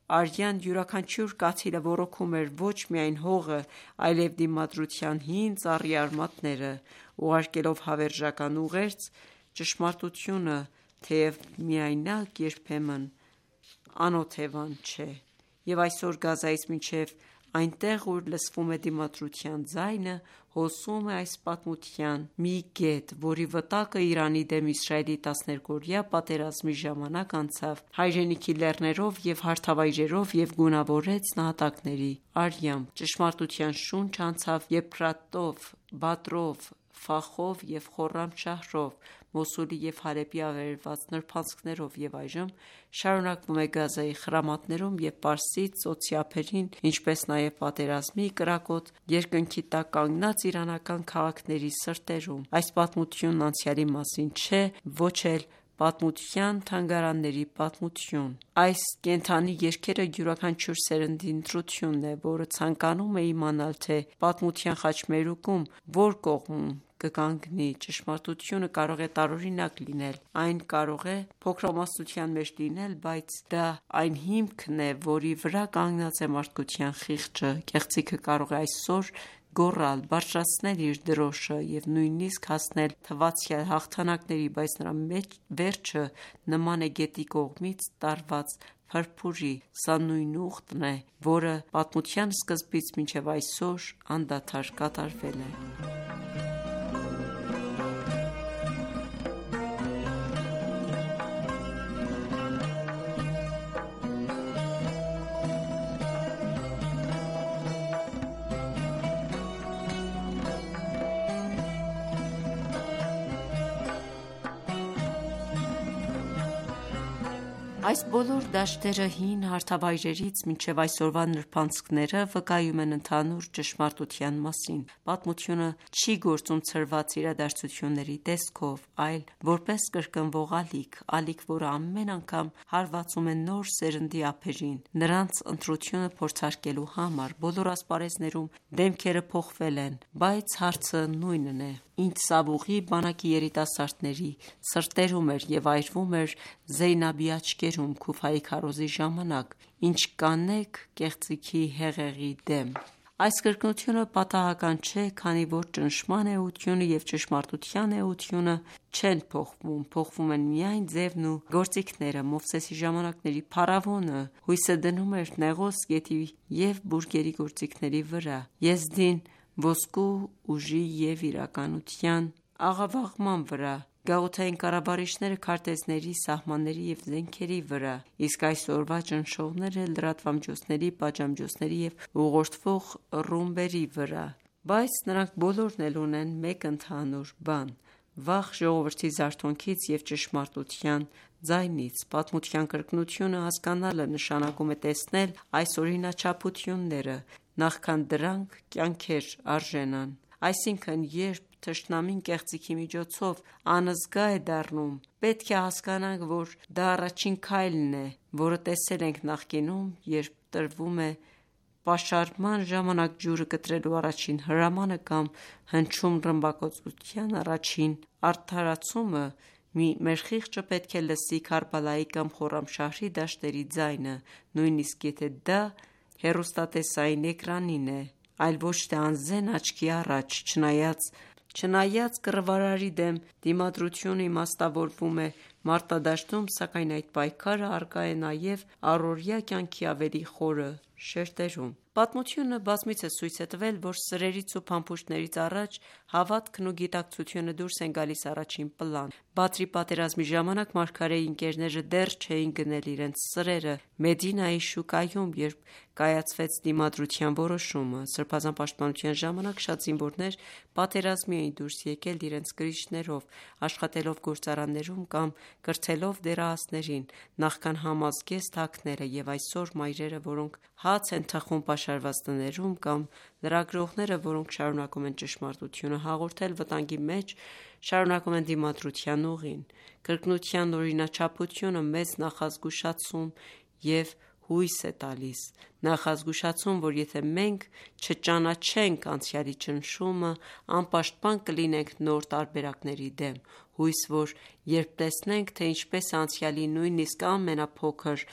արյան յուրաքանչյուր կաթիլը ոռոգում էր ոչ միայն հողը, այլև դիմադրության հին ծառի արմատները։ Ուղարկելով հավերժական ուղերձ, ճշմարտությունը, թեև միայնակ, երբեմն անօթևան չէ։ Եվ այսօր Գազայից մինչև այնտեղ, ուր լսվում է դիմադրության ձայնը, հոսում է այս պատմության մի կետ, որի վտակը Իրանի դեմ Իսրայելի 12-օրյա պատերազմի ժամանակ անցավ հայրենիքի լեռներով և հարթավայրերով և գունավորեց նահատակների արյամբ։ Ճշմարտության շունչը անցավ Եփրատով, Բադրով, Ֆախով և Խորրամշահրով, Մոսուլի և Հալեպի ավերված նրբանցքներով և այժմ շարունակվում է Գազայի խրամատներում և Պարսից ծոցի ափերին, ինչպես նաև պատերազմի կրակոտ երկնքի տակ կանգնած իրանական քաղաքների սրտերում։ Այս պատմությունն անցյալի մասին չէ, ոչ էլ Պատմության թանգարանների պատմություն։ Այս կենդանի երգերը յուրաքանչյուր սերնդի ընտրությունն է, որը ցանկանում է իմանալ, թե պատմության խաչմերուկում որ կողմում կկանգնի։ Ճշմարտությունը կարող է տարօրինակ լինել, այն կարող է փոքրամասնության մեջ լինել, բայց դա այն հիմքն է, որի վրա կանգնած է մարդկության խիղճը։ Կեղծիքը կարող է այսօր գոռալ, բարձրացնել իր դրոշը և նույնիսկ հասնել թվացյալ հաղթանակների, բայց նրա վերջը նման է գետի կողմից տարված փրփուրի։ Սա նույն ուխտն է, որը պատմության սկզբից մինչև այսօր անդադար կատարվել է։ Այս բոլոր դաշտերը հին հարթավայրերից մինչև այսօրվա նրբանցքները վկայում են ընդհանուր ճշմարտության մասին։ Պատմությունը չի գործում ցրված իրադարձությունների տեսքով, այլ որպես կրկնվող ալիք, որը ամեն անգամ հարվածում է նոր սերնդի ափերին, նրանց ընտրությունը փորձարկելու համար։ Բոլոր ասպարեզներում դեմքերը փոխվել են, բայց հարցը նույնն է. Ինչ Սավուղի բանակի երիտասարդների սրտերում էր և այրվում էր Զեյնաբի աչքերում Քուֆայի քարոզի ժամանակ, ինչ կանեք կեղծիքի հեղեղի դեմ։ Այս կրկնությունը պատահական չէ, քանի որ ճնշման էությունը և ճշմարտության էությունը չեն փոխվում, փոխվում են միայն ձևն ու գործիքները։ Մովսեսի ժամանակների փարավոնը հույսը դնում էր Նեղոս գետի և բուրգերի գործիքների վրա, Եզդին ոսկու ուժի և իրականության աղավաղման վրա, գաղութային կառավարիչները քարտեզների, սահմանների և զենքերի վրա, իսկ այսօրվա ճնշողները լրատվամիջոցների, պատժամիջոցների և ուղղորդվող ռումբերի վրա։ Բայց նրանք բոլորն էլ ունեն մեկ ընդհանուր բան՝ վախ ժողովրդի զարթոնքից և ճշմարտության ձայնից։ Պատմության կրկնությունը հասկանալը նշանակում է տեսնել այս օրինաչափությունները, նախքան դրանք կյանքեր արժենան։ Այսինքն, երբ թշնամին կեղծիքի միջոցով անզգա է դառնում, պետք է հասկանանք, որ դա առաջին քայլն է, որը տեսել ենք նախկինում, երբ տրվում է պաշարման ժամանակ ջուրը կտրելու առաջին հրամանը կամ հնչում ռմբակոծության առաջին արդարացումը, մեր խիղճը պետք է լսի Քարբալայի կամ Խորամշահրի դաշտերի ձայնը, նույնիսկ եթե դա հեռուստատեսային էկրանին է, այլ ոչ թե անզեն աչքի առաջ։ Չնայած կռվարարի դեմ դիմադրությունը իմաստավորվում է մարտադաշտում, սակայն այդ պայքարը առկա է նաև առօրյա կյանքի ավելի խորը շերտերում։ Պատմությունը բազմիցս ցույց է տվել, որ սրերից ու փամփուշտներից առաջ հավատքն ու գիտակցությունը դուրս են գալիս առաջին պլան։ Բադրի պատերազմի ժամանակ մարգարեի ընկերները դեռ չէին գնել իրենց սրերը Մեդինայի շուկայում, երբ կայացվեց դիմադրության որոշումը։ Սրբազան պաշտպանության ժամանակ շատ զինվորներ պատերազմի էին դուրս եկել իրենց կրիչներով, աշխատելով գործարաններում կամ կրթելով դեռահասներին, նախքան համազգեստ հագները, և այսօր մայրերը, որոնք հաց են թխում պաշարված տներում, կամ լրագրողները, որոնք շարունակում են ճշմարտությունը հաղորդել վտանգի մեջ, շարունակում են դիմադրության ուղին։ Կրկնության օրինաչափությունը մեզ նախազգուշացում և հույս է տալիս։ Նախազգուշացում, որ եթե մենք չճանաչենք անցյալի ճնշումը, անպաշտպան կլինենք նոր տարբերակների դեմ։ Հույս, որ երբ տեսնենք, թե ինչպես է անցյալի նույնիսկ ամենափոքր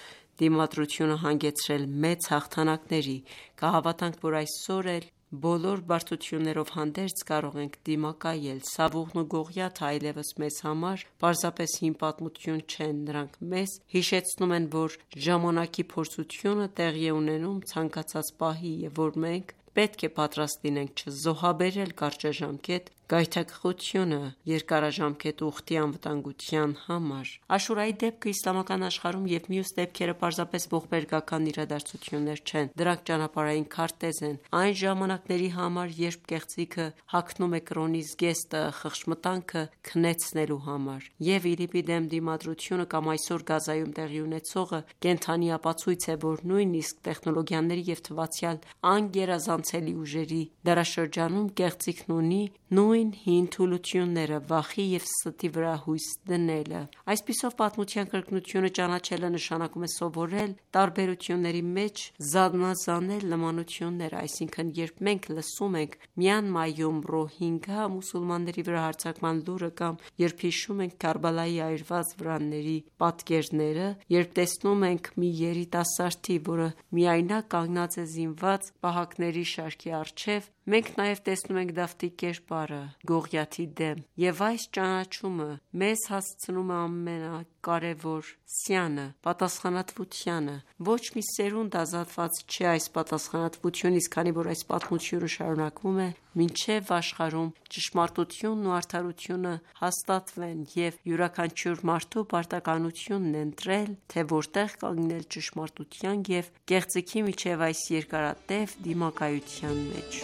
դիմադրությունը հանգեցրել մեծ հաղթանակների, կհավատանք, որ այսօր էլ բոլոր բարդություններով հանդերձ կարող ենք դիմակայել։ Սավուղն ու Գողիաթը այլևս մեզ համար պարզապես հին պատմություն չեն, նրանք մեզ հիշեցնում են, որ ժամանակի փորձությունը տեղի է ունենում ցանկացած պահի, և որ մենք պետք է պատրաստ լինենք չզոհաբերել կարճաժամկետ գայթակղությունը երկարաժամկետ ուխտի անվտանգության համար։ Աշուրայի դեպքը իսլամական աշխարհում և մյուս դեպքերը պարզապես ողբերգական իրադարձություններ չեն, դրանք ճանապարհային քարտեզ են այն ժամանակների համար, երբ կեղծիքը հագնում է կրոնի զգեստը խղճմտանքը քնեցնելու համար։ Եվ ԻԼԻՊ-ի դեմ դիմադրությունը կամ այսօր Գազայում տեղի ունեցողը կենդանի ապացույց է, որ նույնիսկ տեխնոլոգիաների և թվացյալ անգերազանցելի ուժերի դարաշրջանում կեղծիքն ունի նույն նույն հին թուլությունները, վախի և ստի վրա հույս դնելը։ Այսպիսով, պատմության կրկնությունը ճանաչելը նշանակում է սովորել տարբերությունների մեջ զանազանել նմանությունները, այսինքն երբ մենք լսում ենք Մյանմայում ռոհինգա մուսուլմանների վրա հարձակման լուրը կամ երբ հիշում ենք Քարբալայի այրված վրանների պատկերները, երբ տեսնում ենք մի երիտասարդի, որը միայնակ կանգնած է զինված պահակների շարքի առջև, մենք նաև տեսնում ենք Դավթի կերպարը Գողիաթի դեմ, և այս ճանաչումը մեզ հասցնում է ամենակարևոր սյանը՝ պատասխանատվությանը։ Ոչ մի սերունդ ազատված չէ այս պատասխանատվությունից, քանի որ այս պատմությունը շարունակվում է մինչև աշխարհում ճշմարտությունն ու արդարությունը հաստատվեն, և յուրաքանչյուր մարդու պարտականությունն է ընտրել, թե որտեղ կանգնել ճշմարտության և կեղծիքի միջև այս երկարատև դիմակայության մեջ։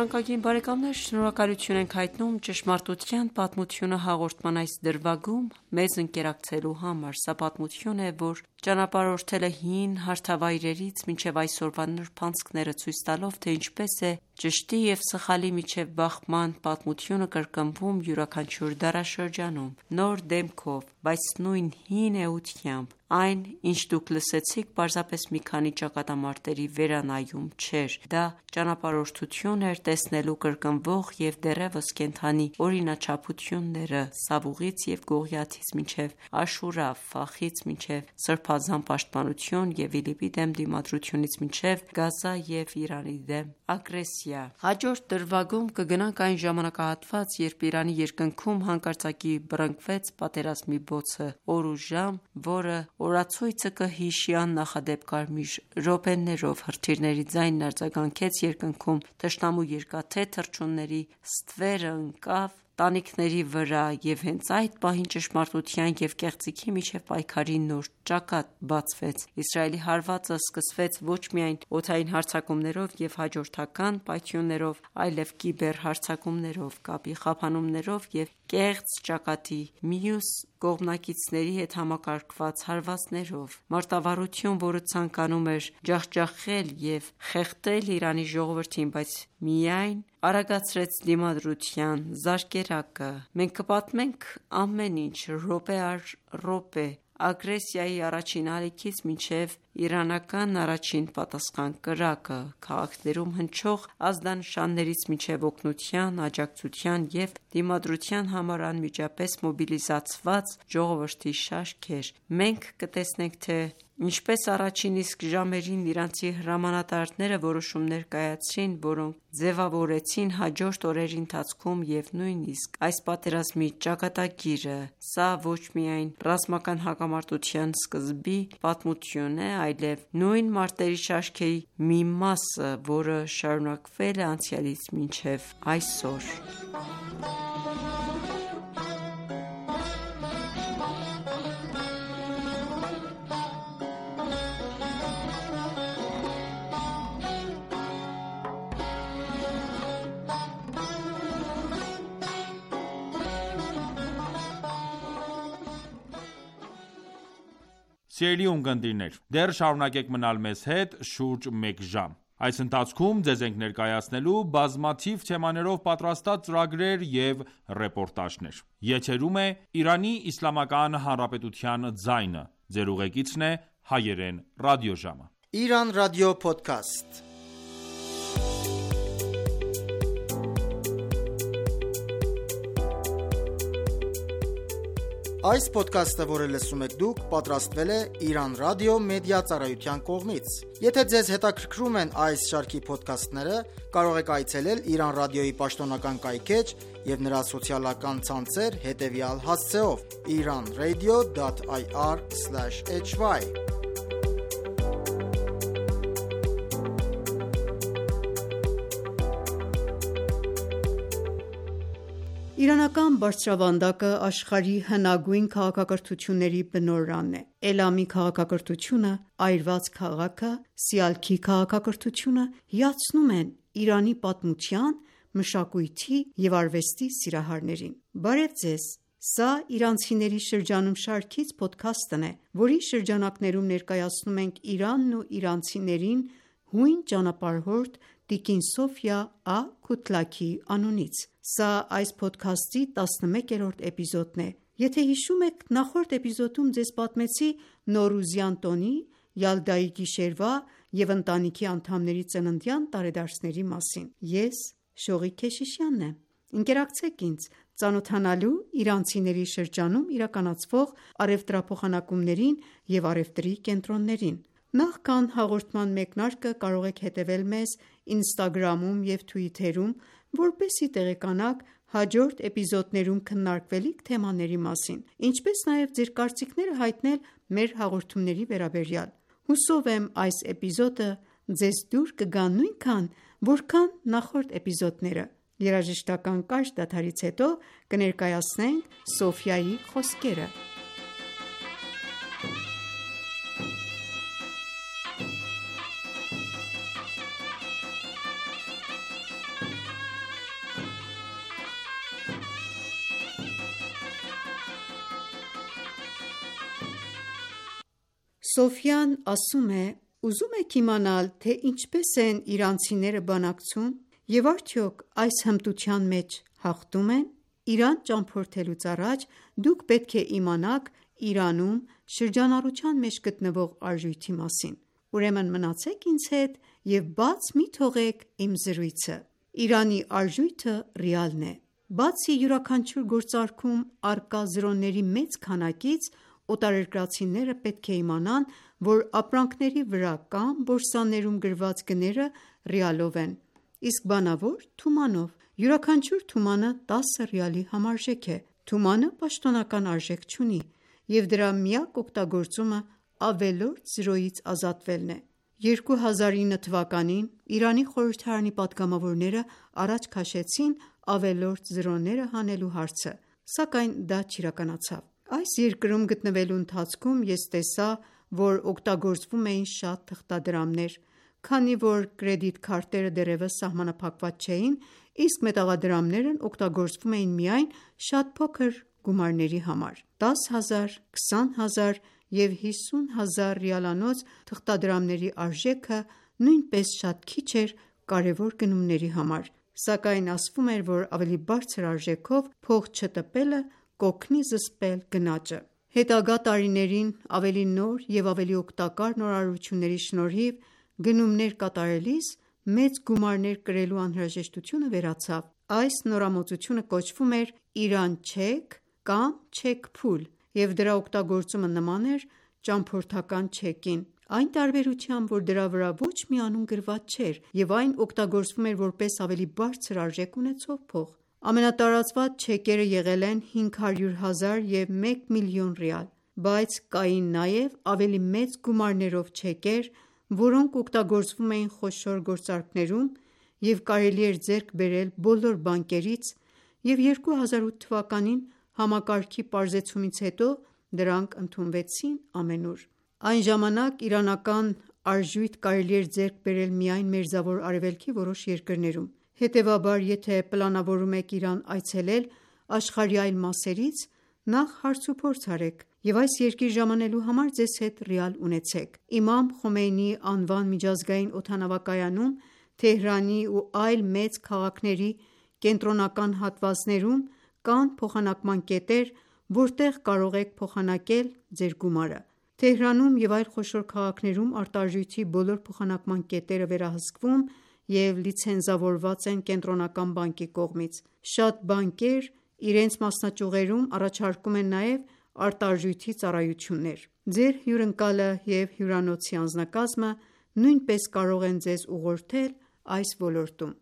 Թանկագին բարեկամներ, շնորհակալություն ենք հայտնում «Ճշմարտության պատմությունը» հաղորդման այս դրվագում մեզ ընկերակցելու համար։ Սա պատմություն է, որ ճանապարհորդել է հին հարթավայրերից մինչև այսօրվա նրբանցքները, ցույց տալով, թե ինչպես է ճշտի և սխալի միջև բախման պատմությունը կրկնվում յուրաքանչյուր դարաշրջանում, նոր դեմքով, բայց նույն հին էությամբ։ Այն, ինչ դուք լսեցիք, պարզապես մի քանի ճակատամարտերի վերանայում չէր, դա ճանապարհորդություն էր տեսնելու կրկնվող և դեռևս կենդանի օրինաչափությունները Սավուղից և Գողիաթից մինչև Աշուրա, Ֆախից մինչև Սրբազան պաշտպանություն և ԻԼԻՊ-ի դեմ դիմադրությունից մինչև Գազա և Իրանի դեմ ագրեսիա։ Հաջորդ դրվագում կգնանք այն ժամանակահատված, երբ Իրանի երկնքում հանկարծակի բռնկվեց պատերազմի բոցը, օր ու ժամ, որը օրացույցը կհիշի աննախադեպ կարմիր րոպեներով, հրթիռների ձայնն արձագանքեց երկնքում, թշնամու երկաթե թռչունների ստվերը ընկավ տանիքների վրա, և հենց այդ պահին ճշմարտության և կեղծիքի միջև պայքարի նոր ճակատ բացվեց։ Իսրայելի հարվածը սկսվեց ոչ միայն օդային հարձակումներով և հաջորդական պայթյուններով, այլև կիբերհարձակումներով, կապի խափանումներով և կեղծ ճակատի մյուս կողմնակիցների հետ համակարգված հարվածներով։ Մարտավարություն, որը ցանկանում էր ջախջախել և խեղդել Իրանի ժողովրդին, բայց միայն արագացրեց դիմադրության զարկերակը։ Մենք կպատմենք ամեն ինչ րոպե առ րոպե, ագրեսիայի առաջին ալիքից մինչև իրանական առաջին պատասխան կրակը, քաղաքներում հնչող ազդանշաններից մինչև օգնության, աջակցության և դիմադրության համար անմիջապես մոբիլիզացված ժողովրդի շարքեր։ Մենք կտեսնենք, թե ինչպես առաջին իսկ ժամերին իրանցի հրամանատարները որոշումներ կայացրին, որոնք ձևավորեցին հաջորդ օրերի ընթացքում և նույնիսկ այս պատերազմի ճակատագիրը։ Սա ոչ միայն ռազմական հակամարտության սկզբի պատմություն է, այլև նույն մարտերի շարքերի մի մասը, որը շարունակվել է անցյալից մինչև այսօր։ Սիրելի ունկնդիրներ, դեռ շարունակեք մնալ մեզ հետ շուրջ մեկ ժամ։ Այս ընթացքում ձեզ ենք ներկայացնելու բազմաթիվ թեմաներով պատրաստած ծրագրեր և ռեպորտաժներ։ Եթերում է Իրանի Իսլամական Հանրապետության ձայնը։ Ձեր ուղեկիցն է Հայերեն ռադիոժամը։ Իրան ռադիո փոդքասթ։ Այս փոդքասթը, որը լսում եք դուք, պատրաստվել է Իրան ռադիո մեդիա ծառայության կողմից։ Եթե ձեզ հետաքրքրում են այս շարքի փոդքասթները, կարող եք այցելել Իրան ռադիոյի պաշտոնական կայքէջ և նրա սոցիալական ցանցեր հետևյալ հասցեով՝ iranradio.ir/hy Իրանական բարձրավանդակը աշխարհի հնագույն քաղաքակրթությունների բնօրրանն է։ Էլամի քաղաքակրթությունը, այրված քաղաքը, Սիալքի քաղաքակրթությունը հիացնում են Իրանի պատմության, մշակույթի և արվեստի սիրահարներին։ Բարև ձեզ։ Սա «Իրանցիների շրջանում» շարքից փոդքասթն է, որի շրջանակներում ներկայացնում ենք Իրանն ու իրանցիներին հույն ճանապարհորդ տիկին Սոֆյա Ա.Քութլաքիի անունից։ Սա այս փոդքասթի 11-րդ էպիզոդն է։ Եթե հիշում եք, նախորդ էպիզոդում ձեզ պատմեցի Նոռուզյան տոնի, Յալդայի գիշերվա և ընտանիքի անդամների ծննդյան տարեդարձների մասին։ Ես Շողիկ Քեշիշյանն եմ։ Ընկերակցեք ինձ՝ ծանոթանալու իրանցիների շրջանում իրականացվող առևտրափոխանակումներին և առևտրի կենտրոններին։ Նախքան հաղորդման մեկնարկը կարող եք հետևել մեզ Ինստագրամում և Թվիթերում, որպեսզի տեղեկանաք հաջորդ էպիզոդներում քննարկվելիք թեմաների մասին, ինչպես նաև ձեր կարծիքները հայտնել մեր հաղորդումների վերաբերյալ։ Հուսով եմ այս էպիզոդը ձեզ դուր կգա նույնքան, որքան նախորդ էպիզոդները։ Երաժշտական կարճ դադարից հետո կներկայացնենք Սոֆյայի խոսքերը։ Սոֆյան ասում է. «Ուզում եք իմանալ, թե ինչպես են իրանցիները բանակցում և արդյոք այս հմտության մեջ հաղթում են։ Իրան ճամփորդելուց առաջ դուք պետք է իմանաք Իրանում շրջանառության մեջ գտնվող արժույթի մասին։ Ուրեմն մնացեք ինձ հետ և բաց մի թողեք իմ զրույցը։ Իրանի արժույթը ռիալն է։ Բացի յուրաքանչյուր գործարքում առկա զրոների մեծ քանակից, օտարերկրացիները պետք է իմանան, որ ապրանքների վրա կամ բորսաներում գրված գները ռիալով են, իսկ բանավոր՝ թումանով։ Յուրաքանչյուր թումանը 10 ռիալի համարժեք է։ Թումանը պաշտոնական արժեք չունի, և դրա միակ օգտագործումը ավելորդ զրոյից ազատվելն է։ 2009 թվականին Իրանի խորհրդարանի պատգամավորները առաջ քաշեցին ավելորդ զրոները հանելու հարցը, սակայն դա չիրականացավ։ Այս երկրում գտնվելու ընթացքում ես տեսա, որ օգտագործվում էին շատ թղթադրամներ, քանի որ կրեդիտ քարտերը դեռևս սահմանափակված չէին, իսկ մետաղադրամներն օգտագործվում էին միայն շատ փոքր գումարների համար։ 10,000, 20,000 և 50,000 ռիալանոց թղթադրամների արժեքը նույնպես շատ քիչ էր կարևոր գնումների համար, սակայն ասվում էր, որ ավելի բարձր արժեքով փող չտպելը կօգնի զսպել գնաճը։ Հետագա տարիներին ավելի նոր և ավելի օգտակար նորարարությունների շնորհիվ գնումներ կատարելիս մեծ գումարներ կրելու անհրաժեշտությունը վերացավ։ Այս նորամուծությունը կոչվում էր «Իրան չեք» կամ «չեք-փուլ» և դրա օգտագործումը նման էր ճամփորդական չեկին, այն տարբերությամբ, որ դրա վրա ոչ մի անուն գրված չէր և այն օգտագործվում էր որպես ավելի բարձր արժեք ունեցող փող։ Ամենատարածված չեկերը եղել են 500,000 և 1 միլիոն ռիալ, բայց կային նաև ավելի մեծ գումարներով չեկեր, որոնք օգտագործվում էին խոշոր գործարքներում և կարելի էր ձեռք բերել բոլոր բանկերից, և 2008 թվականին համակարգի պարզեցումից հետո դրանք ընդունվեցին ամենուր։ Այն ժամանակ իրանական արժույթ կարելի էր ձեռք բերել միայն Մերձավոր Արևելքի որոշ երկրներում։ Հետևաբար, եթե պլանավորում եք Իրան այցելել աշխարհի այլ մասերից, նախ հարցուփորձ արեք և այս երկիր ժամանելու համար ձեզ հետ ռիալ ունեցեք։ Իմամ Խոմեյնիի անվան միջազգային օդանավակայանում, Թեհրանի ու այլ մեծ քաղաքների կենտրոնական հատվածներում կան փոխանակման կետեր, որտեղ կարող եք փոխանակել ձեր գումարը։ Թեհրանում և այլ խոշոր քաղաքներում արտարժույթի բոլոր փոխանակման կետերը վերահսկվում և լիցենզավորված են կենտրոնական բանկի կողմից։ Շատ բանկեր իրենց մասնաճյուղերում առաջարկում են նաև արտարժույթի ծառայություններ։ Ձեր հյուրընկալը և հյուրանոցի անձնակազմը նույնպես կարող են ձեզ ուղղորդել այս ոլորտում։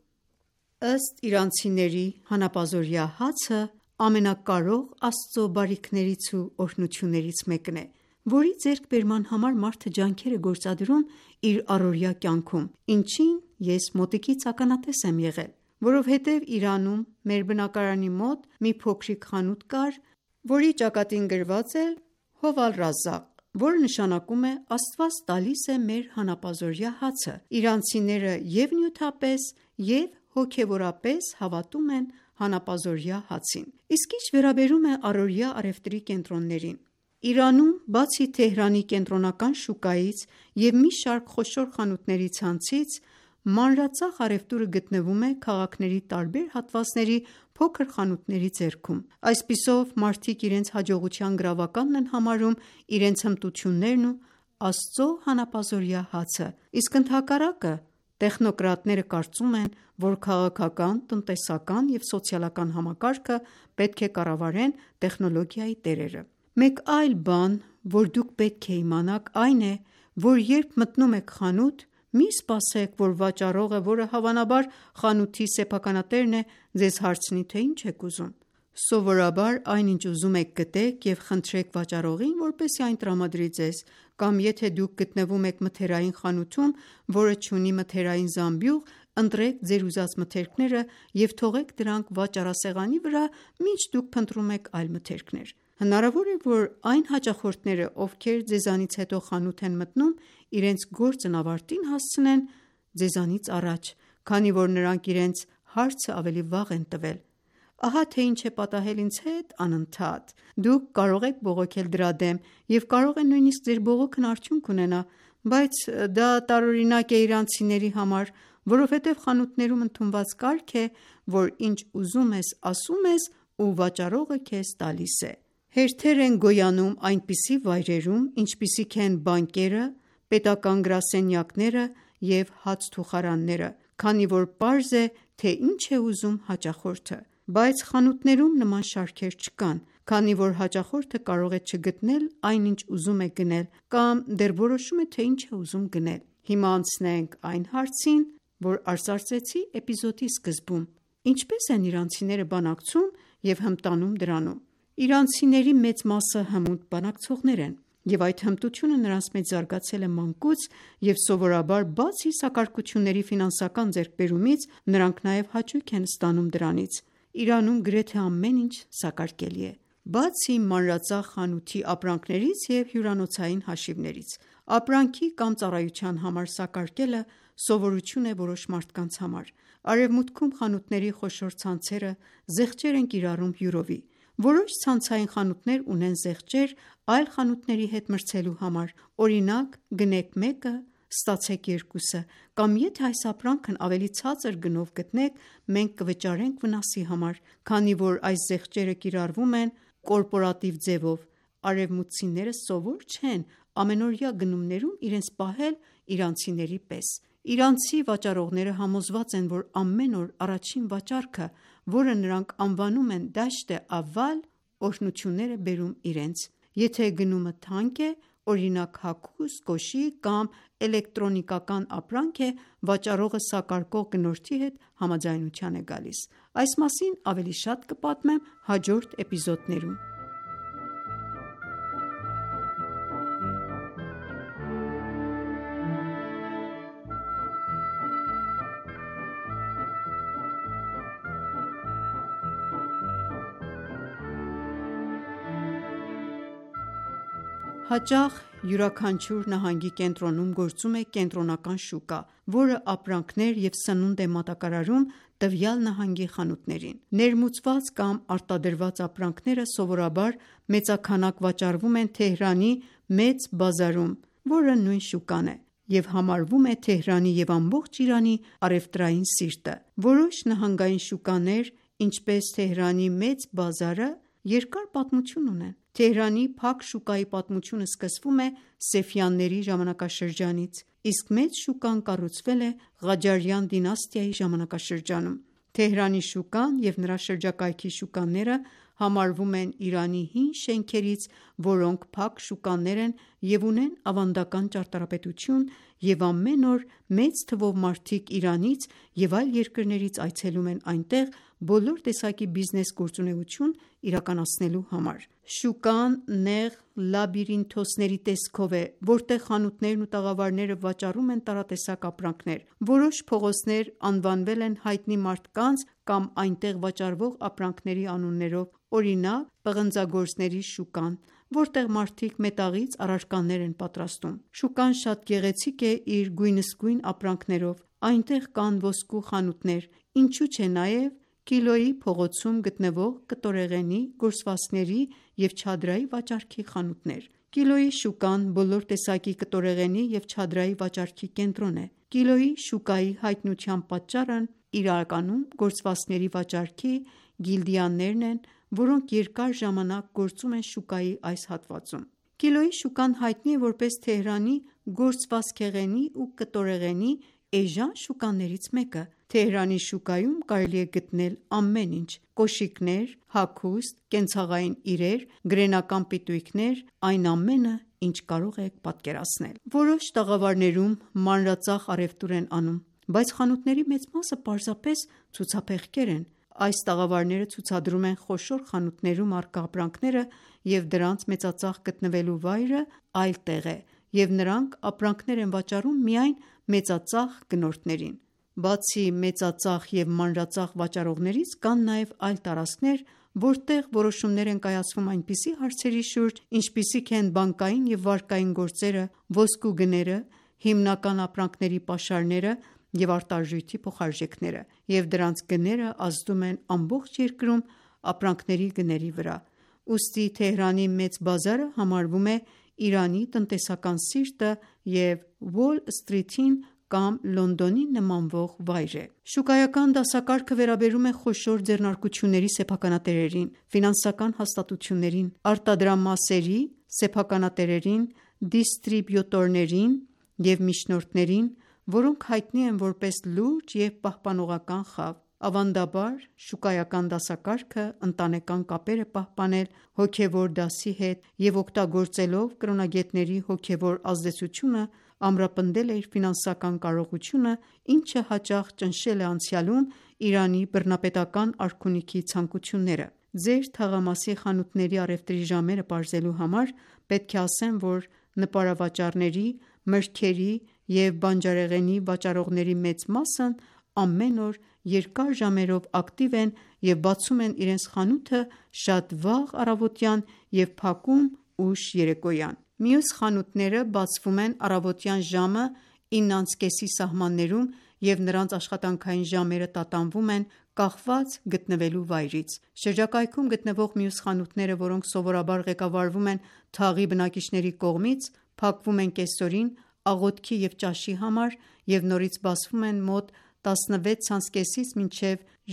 Ըստ իրանցիների, հանապազօրյա հացը ամենակարող Աստծո բարիքներից ու օրհնություններից մեկն է, որի ձեռքբերման համար մարդը ջանքեր է գործադրում իր առօրյա կյանքում, ինչին ես մոտիկից ականատես եմ եղել։ որովհետև Իրանում մեր բնակարանի մոտ մի փոքրիկ խանութ կար, որի ճակատին գրված էր Հով ալ-Ռազաղ, որը նշանակում է Աստված տալիս է մեր հանապազօրյա հացը։ Իրանցիները և նյութապես և հոգևորապես հավատում են հանապազօրյա հացին։ Իսկ ինչ վերաբերում է առօրյա առևտրի կենտրոններին, Իրանում բացի Թեհրանի կենտրոնական շուկայից և մի շարք խոշոր խանութների ցանցից, մանրածախ առևտուրը գտնվում է քաղաքների տարբեր հատվածների փոքր խանութների ձեռքում։ Այսպիսով, մարդիկ իրենց հաջողության գրավականն են համարում իրենց հմտություններն ու Աստծո հանապազօրյա հացը, իսկ ընդհակառակը տեխնոկրատները կարծում են, որ քաղաքական, տնտեսական և սոցիալական համակարգը պետք է կառավարեն տեխնոլոգիայի տերերը։ Մեկ այլ բան, որ դուք պետք է իմանաք, այն է, որ երբ մտնում եք խանութ, մի սպասեք, որ վաճառողը, որը հավանաբար խանութի սեփականատերն է, ձեզ հարցնի, թե ինչ եք ուզում։ Սովորաբար այն ինչ ուզում եք գտեք և խնդրեք վաճառողին, որպեսզի այն տրամադրի ձեզ, կամ եթե դուք գտնվում եք մթերային խանութում, որը չունի մթերային զամբյուղ, ընտրեք ձեր ուզած մթերքները և թողեք դրանք վաճառասեղանի վրա, մինչ դուք փնտրում եք այլ մթերքներ։ Հնարավոր է, որ այն հաճախորդները, ովքեր ձեզանից հետո խանութ են մտնում, իրենց գործն ավարտին հասցնեն ձեզանից առաջ, քանի որ նրանք իրենց հարցը ավելի վաղ են տվել։ Ահա թե ինչ է պատահել ինձ հետ անընդհատ։ Դուք կարող եք բողոքել դրա դեմ և կարող է նույնիսկ ձեր բողոքն արդյունք ունենա, բայց դա տարօրինակ է իրանցիների համար, որովհետև խանութներում ընդունված կարգ է, որ ինչ ուզում ես ասում ես ու վաճառողը քեզ տալիս է։ Հերթեր են գոյանում այնպիսի վայրերում, ինչպիսիք են բանկերը, պետական գրասենյակները և հացթուխարանները, քանի որ պարզ է, թե ինչ է ուզում հաճախորդը։ Բայց խանութներում նման շարքեր չկան, քանի որ հաճախորդը կարող է չգտնել այն, ինչ ուզում է գնել, կամ դեռ որոշում է, թե ինչ է ուզում գնել։ Հիմա անցնենք այն հարցին, որ արծարծեցի էպիզոդի սկզբում. ինչպե՞ս են իրանցիները բանակցում և հմտանում դրանում։ Իրանցիների մեծ մասը հմուտ բանակցողներ են, և այդ հմտությունը նրանց մեջ զարգացել է մանկուց, և սովորաբար բացի սակարկությունների ֆինանսական ձեռքբերումից, նրանք նաև հաճույք են ստանում դրանից։ Իրանում գրեթե ամեն ինչ սակարկելի է, բացի մանրածախ խանութի ապրանքներից և հյուրանոցային հաշիվներից։ Ապրանքի կամ ծառայության համար սակարկելը սովորություն է որոշ մարդկանց համար։ Արևմուտքում խանութների խոշոր ցանցերը զեղչեր են կիրառում յուրովի։ Որոշ ցանցային խանութներ ունեն զեղչեր այլ խանութների հետ մրցելու համար, օրինակ՝ գնեք մեկը, ստացեք երկուսը, կամ եթե այս ապրանքն ավելի ցածր գնով գտնեք, մենք կվճարենք վնասի համար, քանի որ այս զեղչերը կիրառվում են կորպորատիվ ձևով։ Արևմուտքցիները սովոր չեն ամենօրյա գնումներում իրենց պահել իրանցիների պես։ Իրանցի վաճառողները համոզված են, որ ամեն օր առաջին վաճառքը, որը նրանք անվանում են դաշտ ավալ, օրհնություններ է բերում իրենց։ Եթե գնումը թանկ է, օրինակ հագուստ, կոշիկ կամ էլեկտրոնիկական ապրանք է, վաճառողը սակարկող գնորդի հետ համաձայնության է գալիս։ Այս մասին ավելի շատ կպատմեմ հաջորդ էպիզոդներում։ Հաճախ յուրաքանչյուր նահանգի կենտրոնում գործում է կենտրոնական շուկա, որը ապրանքներ և սնունդ է մատակարարում տվյալ նահանգի խանութներին։ Ներմուծված կամ արտադրված ապրանքները սովորաբար մեծաքանակ վաճառվում են Թեհրանի Մեծ բազարում, որը նույն շուկան է, և համարվում է Թեհրանի և ամբողջ Իրանի առևտրային սիրտը։ Որոշ նահանգային շուկաներ, ինչպես Թեհրանի Մեծ բազարը, երկար պատմություն ունեն։ Թեհրանի Փակ շուկայի պատմությունը սկսվում է Սեֆյանների ժամանակաշրջանից, իսկ Մեծ շուկան կառուցվել է Ղաջարյան դինաստիայի ժամանակաշրջանում։ Թեհրանի շուկան և նրա շրջակայքի շուկաները համարվում են Իրանի հին շենքերից, որոնք փակ շուկաներ են և ունեն ավանդական ճարտարապետություն և ամեն օր մեծ թվով մարդիկ Իրանից և այլ երկրներից այցելում են այնտեղ բոլոր տեսակի բիզնես գործունեություն իրականացնելու համար։ Շուկան նեղ լաբիրինթոսների տեսքով է, որտեղ խանութներն ու տաղավարները վաճառում են տարատեսակ ապրանքներ։ Որոշ փողոցներ անվանվել են հայտնի մարդկանց կամ այնտեղ վաճառվող ապրանքների անուններով, օրինակ՝ պղնձագործների շուկան, որտեղ մարդիկ մետաղից առարկաներ են պատրաստում։ Շուկան շատ գեղեցիկ է իր գույնզգույն ապրանքներով, այնտեղ կան ոսկու խանութներ, ինչու չէ նաև Կիլոյի փողոցում գտնվող կտորեղենի, գործվածքների և չադրայի վաճառքի խանութներ։ Կիլոյի շուկան բոլոր տեսակի կտորեղենի և չադրայի վաճառքի կենտրոն է։ Կիլոյի շուկայի հայտնության պատճառն իրականում գործվածքների վաճառքի գիլդիաներն են, որոնք երկար ժամանակ գործում են շուկայի այս հատվածում։ Կիլոյի շուկան հայտնի է որպես Թեհրանի գործվածքեղենի ու կտորեղենի էժան շուկաներից մեկը։ Թեհրանի շուկայում կարելի է գտնել ամեն ինչ՝ կոշիկներ, հագուստ, կենցաղային իրեր, գրենական պիտույքներ, այն ամենը, ինչ կարող եք պատկերացնել։ Որոշ տաղավարներում մանրածախ առևտուր են անում, բայց խանութների մեծ մասը պարզապես ցուցափեղկեր են։ Այս տաղավարները ցուցադրում են խոշոր խանութներում առկա ապրանքները, և դրանց մեծածախ գտնվելու վայրը այլ տեղ է, և նրանք ապրանքներ են վաճառում միայն մեծածախ գնորդներին։ Բացի մեծածախ և մանրածախ վաճառողներից, կան նաև այլ տարածքներ, որտեղ որոշումներ են կայացվում այնպիսի հարցերի շուրջ, ինչպիսիք են բանկային և վարկային գործերը, ոսկու գները, հիմնական ապրանքների պաշարները և արտարժույթի փոխարժեքները, և դրանց գները ազդում են ամբողջ երկրում ապրանքների գների վրա։ Ուստի Թեհրանի Մեծ բազարը համարվում է Իրանի տնտեսական սիրտը և Ուոլ Սթրիթին կամ Լոնդոնին նմանվող վայր է։ Շուկայական դասակարգը վերաբերում է խոշոր ձեռնարկությունների սեփականատերերին, ֆինանսական հաստատություններին, արտադրամասերի սեփականատերերին, դիստրիբյուտորներին և միջնորդներին, որոնք հայտնի են որպես լուրջ և պահպանողական խավ։ Ավանդաբար, շուկայական դասակարգը ընտանեկան կապեր է պահպանել հոգևոր դասի հետ և օգտագործելով կրոնագետների հոգևոր ազդեցությունը ամրապնդել է իր ֆինանսական կարողությունը, ինչը հաճախ ճնշել է անցյալում Իրանի բռնապետական արքունիքի ցանկությունները։ Ձեր թաղամասի խանութների առևտրի ժամերը պարզելու համար պետք է ասեմ, որ նպարավաճառների, մրգերի և բանջարեղենի վաճառողների մեծ մասն ամեն օր երկար ժամերով ակտիվ են և բացում են իրենց խանութը շատ վաղ առավոտյան և փակում ուշ երեկոյան։ Մյուս խանութները բացվում են առավոտյան ժամը 9:30-ի սահմաններում և նրանց աշխատանքային ժամերը տատանվում են կախված գտնվելու վայրից։ Շրջակայքում գտնվող մյուս խանութները, որոնք սովորաբար ղեկավարվում են թաղի բնակիչների կողմից, փակվում են կեսօրին աղոթքի և ճաշի համար և նորից բացվում են մոտ 16:30-ից մինչև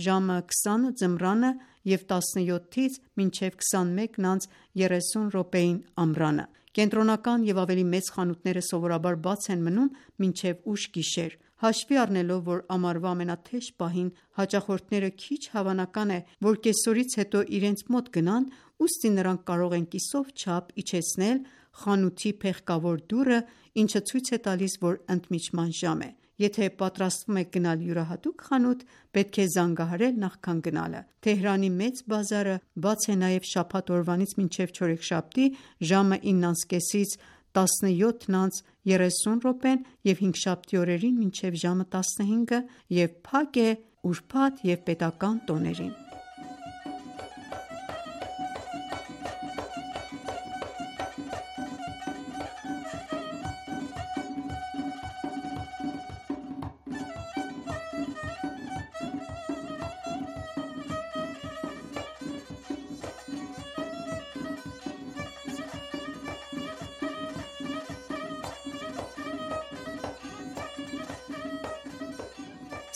ժամը 20 ձմռանը և 17-ից մինչև 21:30 ամռանը։ Կենտրոնական և ավելի մեծ խանութները սովորաբար բաց են մնում մինչև ուշ գիշեր։ Հաշվի առնելով, որ ամառվա ամենաթեժ պահին հաճախորդները քիչ հավանական է, որ կեսօրից հետո իրենց մոտ գնան, ուստի նրանք կարող են կիսով չափ իջեցնել խանութի փեղկավոր դուռը, ինչը ցույց է տալիս, որ ընդմիջման ժամ է։ Եթե պատրաստվում եք գնալ յուրահատուկ խանութ, պետք է զանգահարել նախքան գնալը։ Թեհրանի Մեծ բազարը բաց է նաև շաբաթ օրվանից մինչև չորեքշաբթի ժամը 9:30-ից 17:30 և հինգշաբթի օրերին մինչև ժամը 15 և փակ է ուրբաթ և պետական տոներին։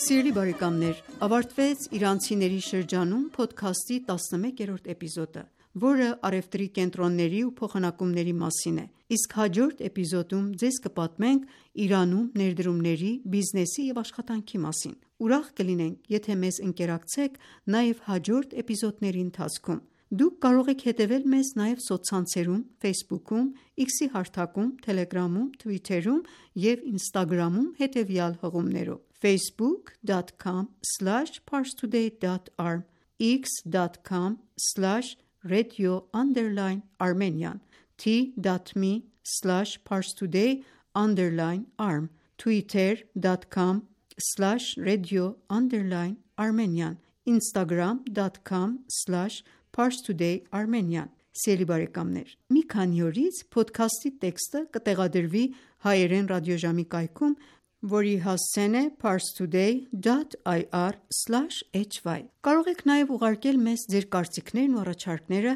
Սիրելի բարեկամներ, ավարտվեց «Իրանցիների շրջանում» փոդքասթի 11-րդ էպիզոդը, որը առևտրի կենտրոնների ու փոխանակումների մասին է, իսկ հաջորդ էպիզոդում ձեզ կպատմենք Իրանում ներդրումների, բիզնեսի և աշխատանքի մասին։ Ուրախ կլինենք, եթե մեզ ընկերակցեք նաև հաջորդ էպիզոդների ընթացքում։ Դուք կարող եք հետևել մեզ նաև սոցցանցերում, Facebook-ում, X-ի հարթակում, Telegram-ում, Twitter-ում և Instagram-ում հետևյալ հղումներով՝ facebook.com/parstoday.arm, x.com/radio_Armenian, t.me/parstoday_arm, twitter.com/radio_Armenian, instagram.com/parstoday_Armenian։ Սիրելի բարեկամներ, մի քանի օրից փոդքասթի տեքստը կտեղադրվի հայերեն ռադիոժամի կայքում, որի հասցեն է parstoday.ir/hy։ Կարող եք նաև ուղարկել մեզ ձեր կարծիքներն ու առաջարկները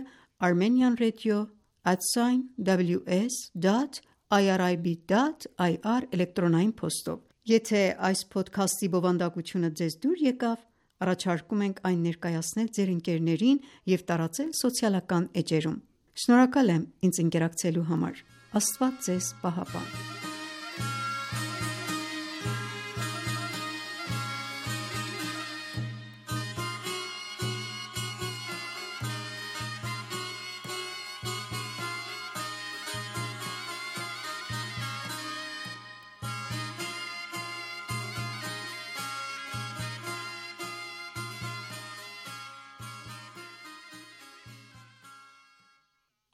armenianradio@ws.irib.ir էլեկտրոնային փոստով։ Եթե այս փոդքասթի բովանդակությունը ձեզ դուր եկավ, առաջարկում ենք այն ներկայացնել ձեր ընկերներին և տարածել սոցիալական էջերում։ Շնորհակալ եմ ինձ ընկերակցելու համար։ Աստված ձեզ պահապան։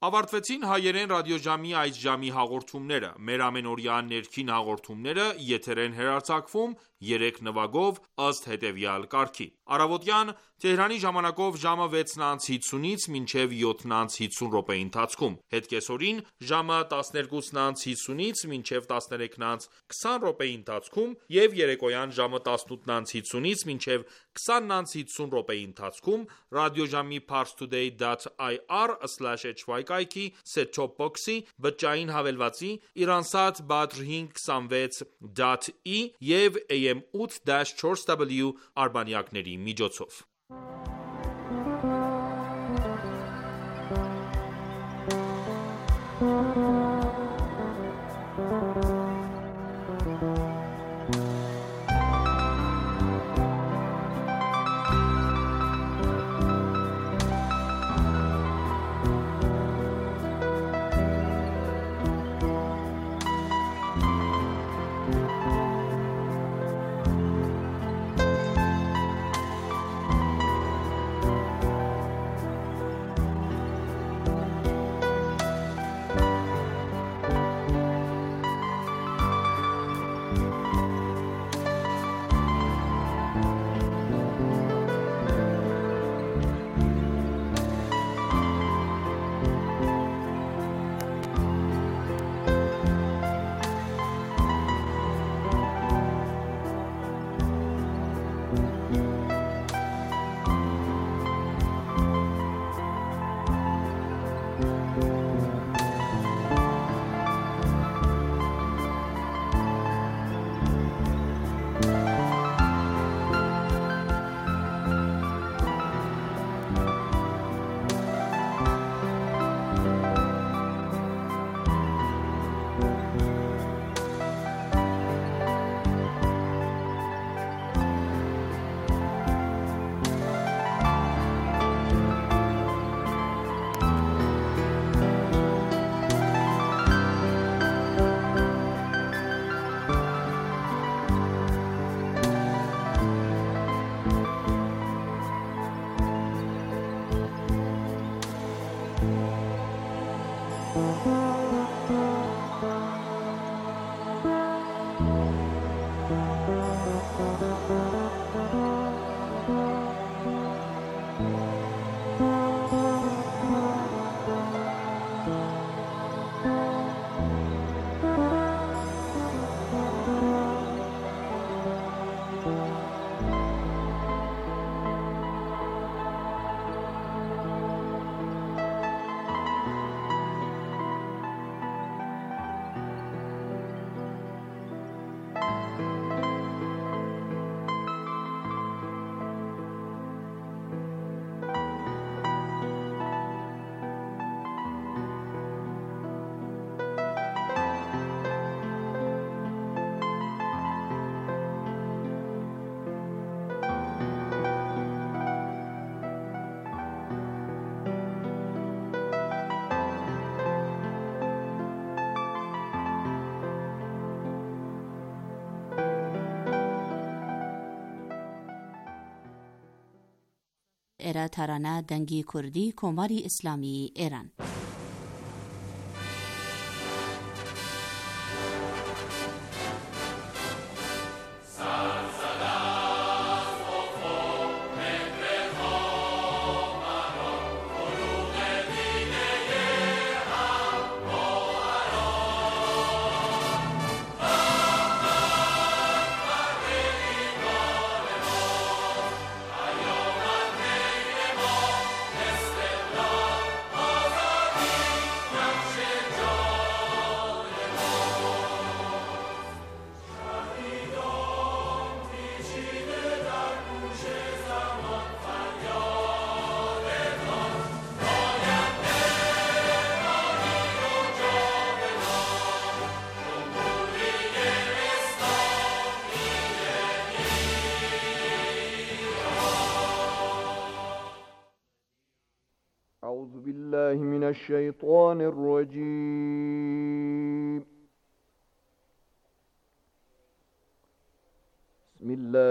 Ավարտվեցին հայերեն ռադիոժամի այս ժամի հաղորդումները։ Մեր ամենօրյա ներքին հաղորդումները եթեր են հեռարձակվում 3 նվագով ըստ հետևյալ կարգի։ Առավոտյան Թեհրանի ժամանակով ժամը 6:50-ից մինչև 7:50 րոպեի ընթացքում, հետկեսօրին ժամը 12:50-ից մինչև 13:20 րոպեի ընթացքում և երեկոյան ժամը 18:50-ից մինչև 20:50 րոպեի ընթացքում ռադիոժամի parstoday.ir/hy կայքի set-top box-ի, բջջային հավելվածի, Iransat Badr 526.E և AM 8-4W արբանյակների միջոցով։ era tarana dangi kurdi komari islami eran. أعوذ بالله من الشيطان الرجيم. بسم الله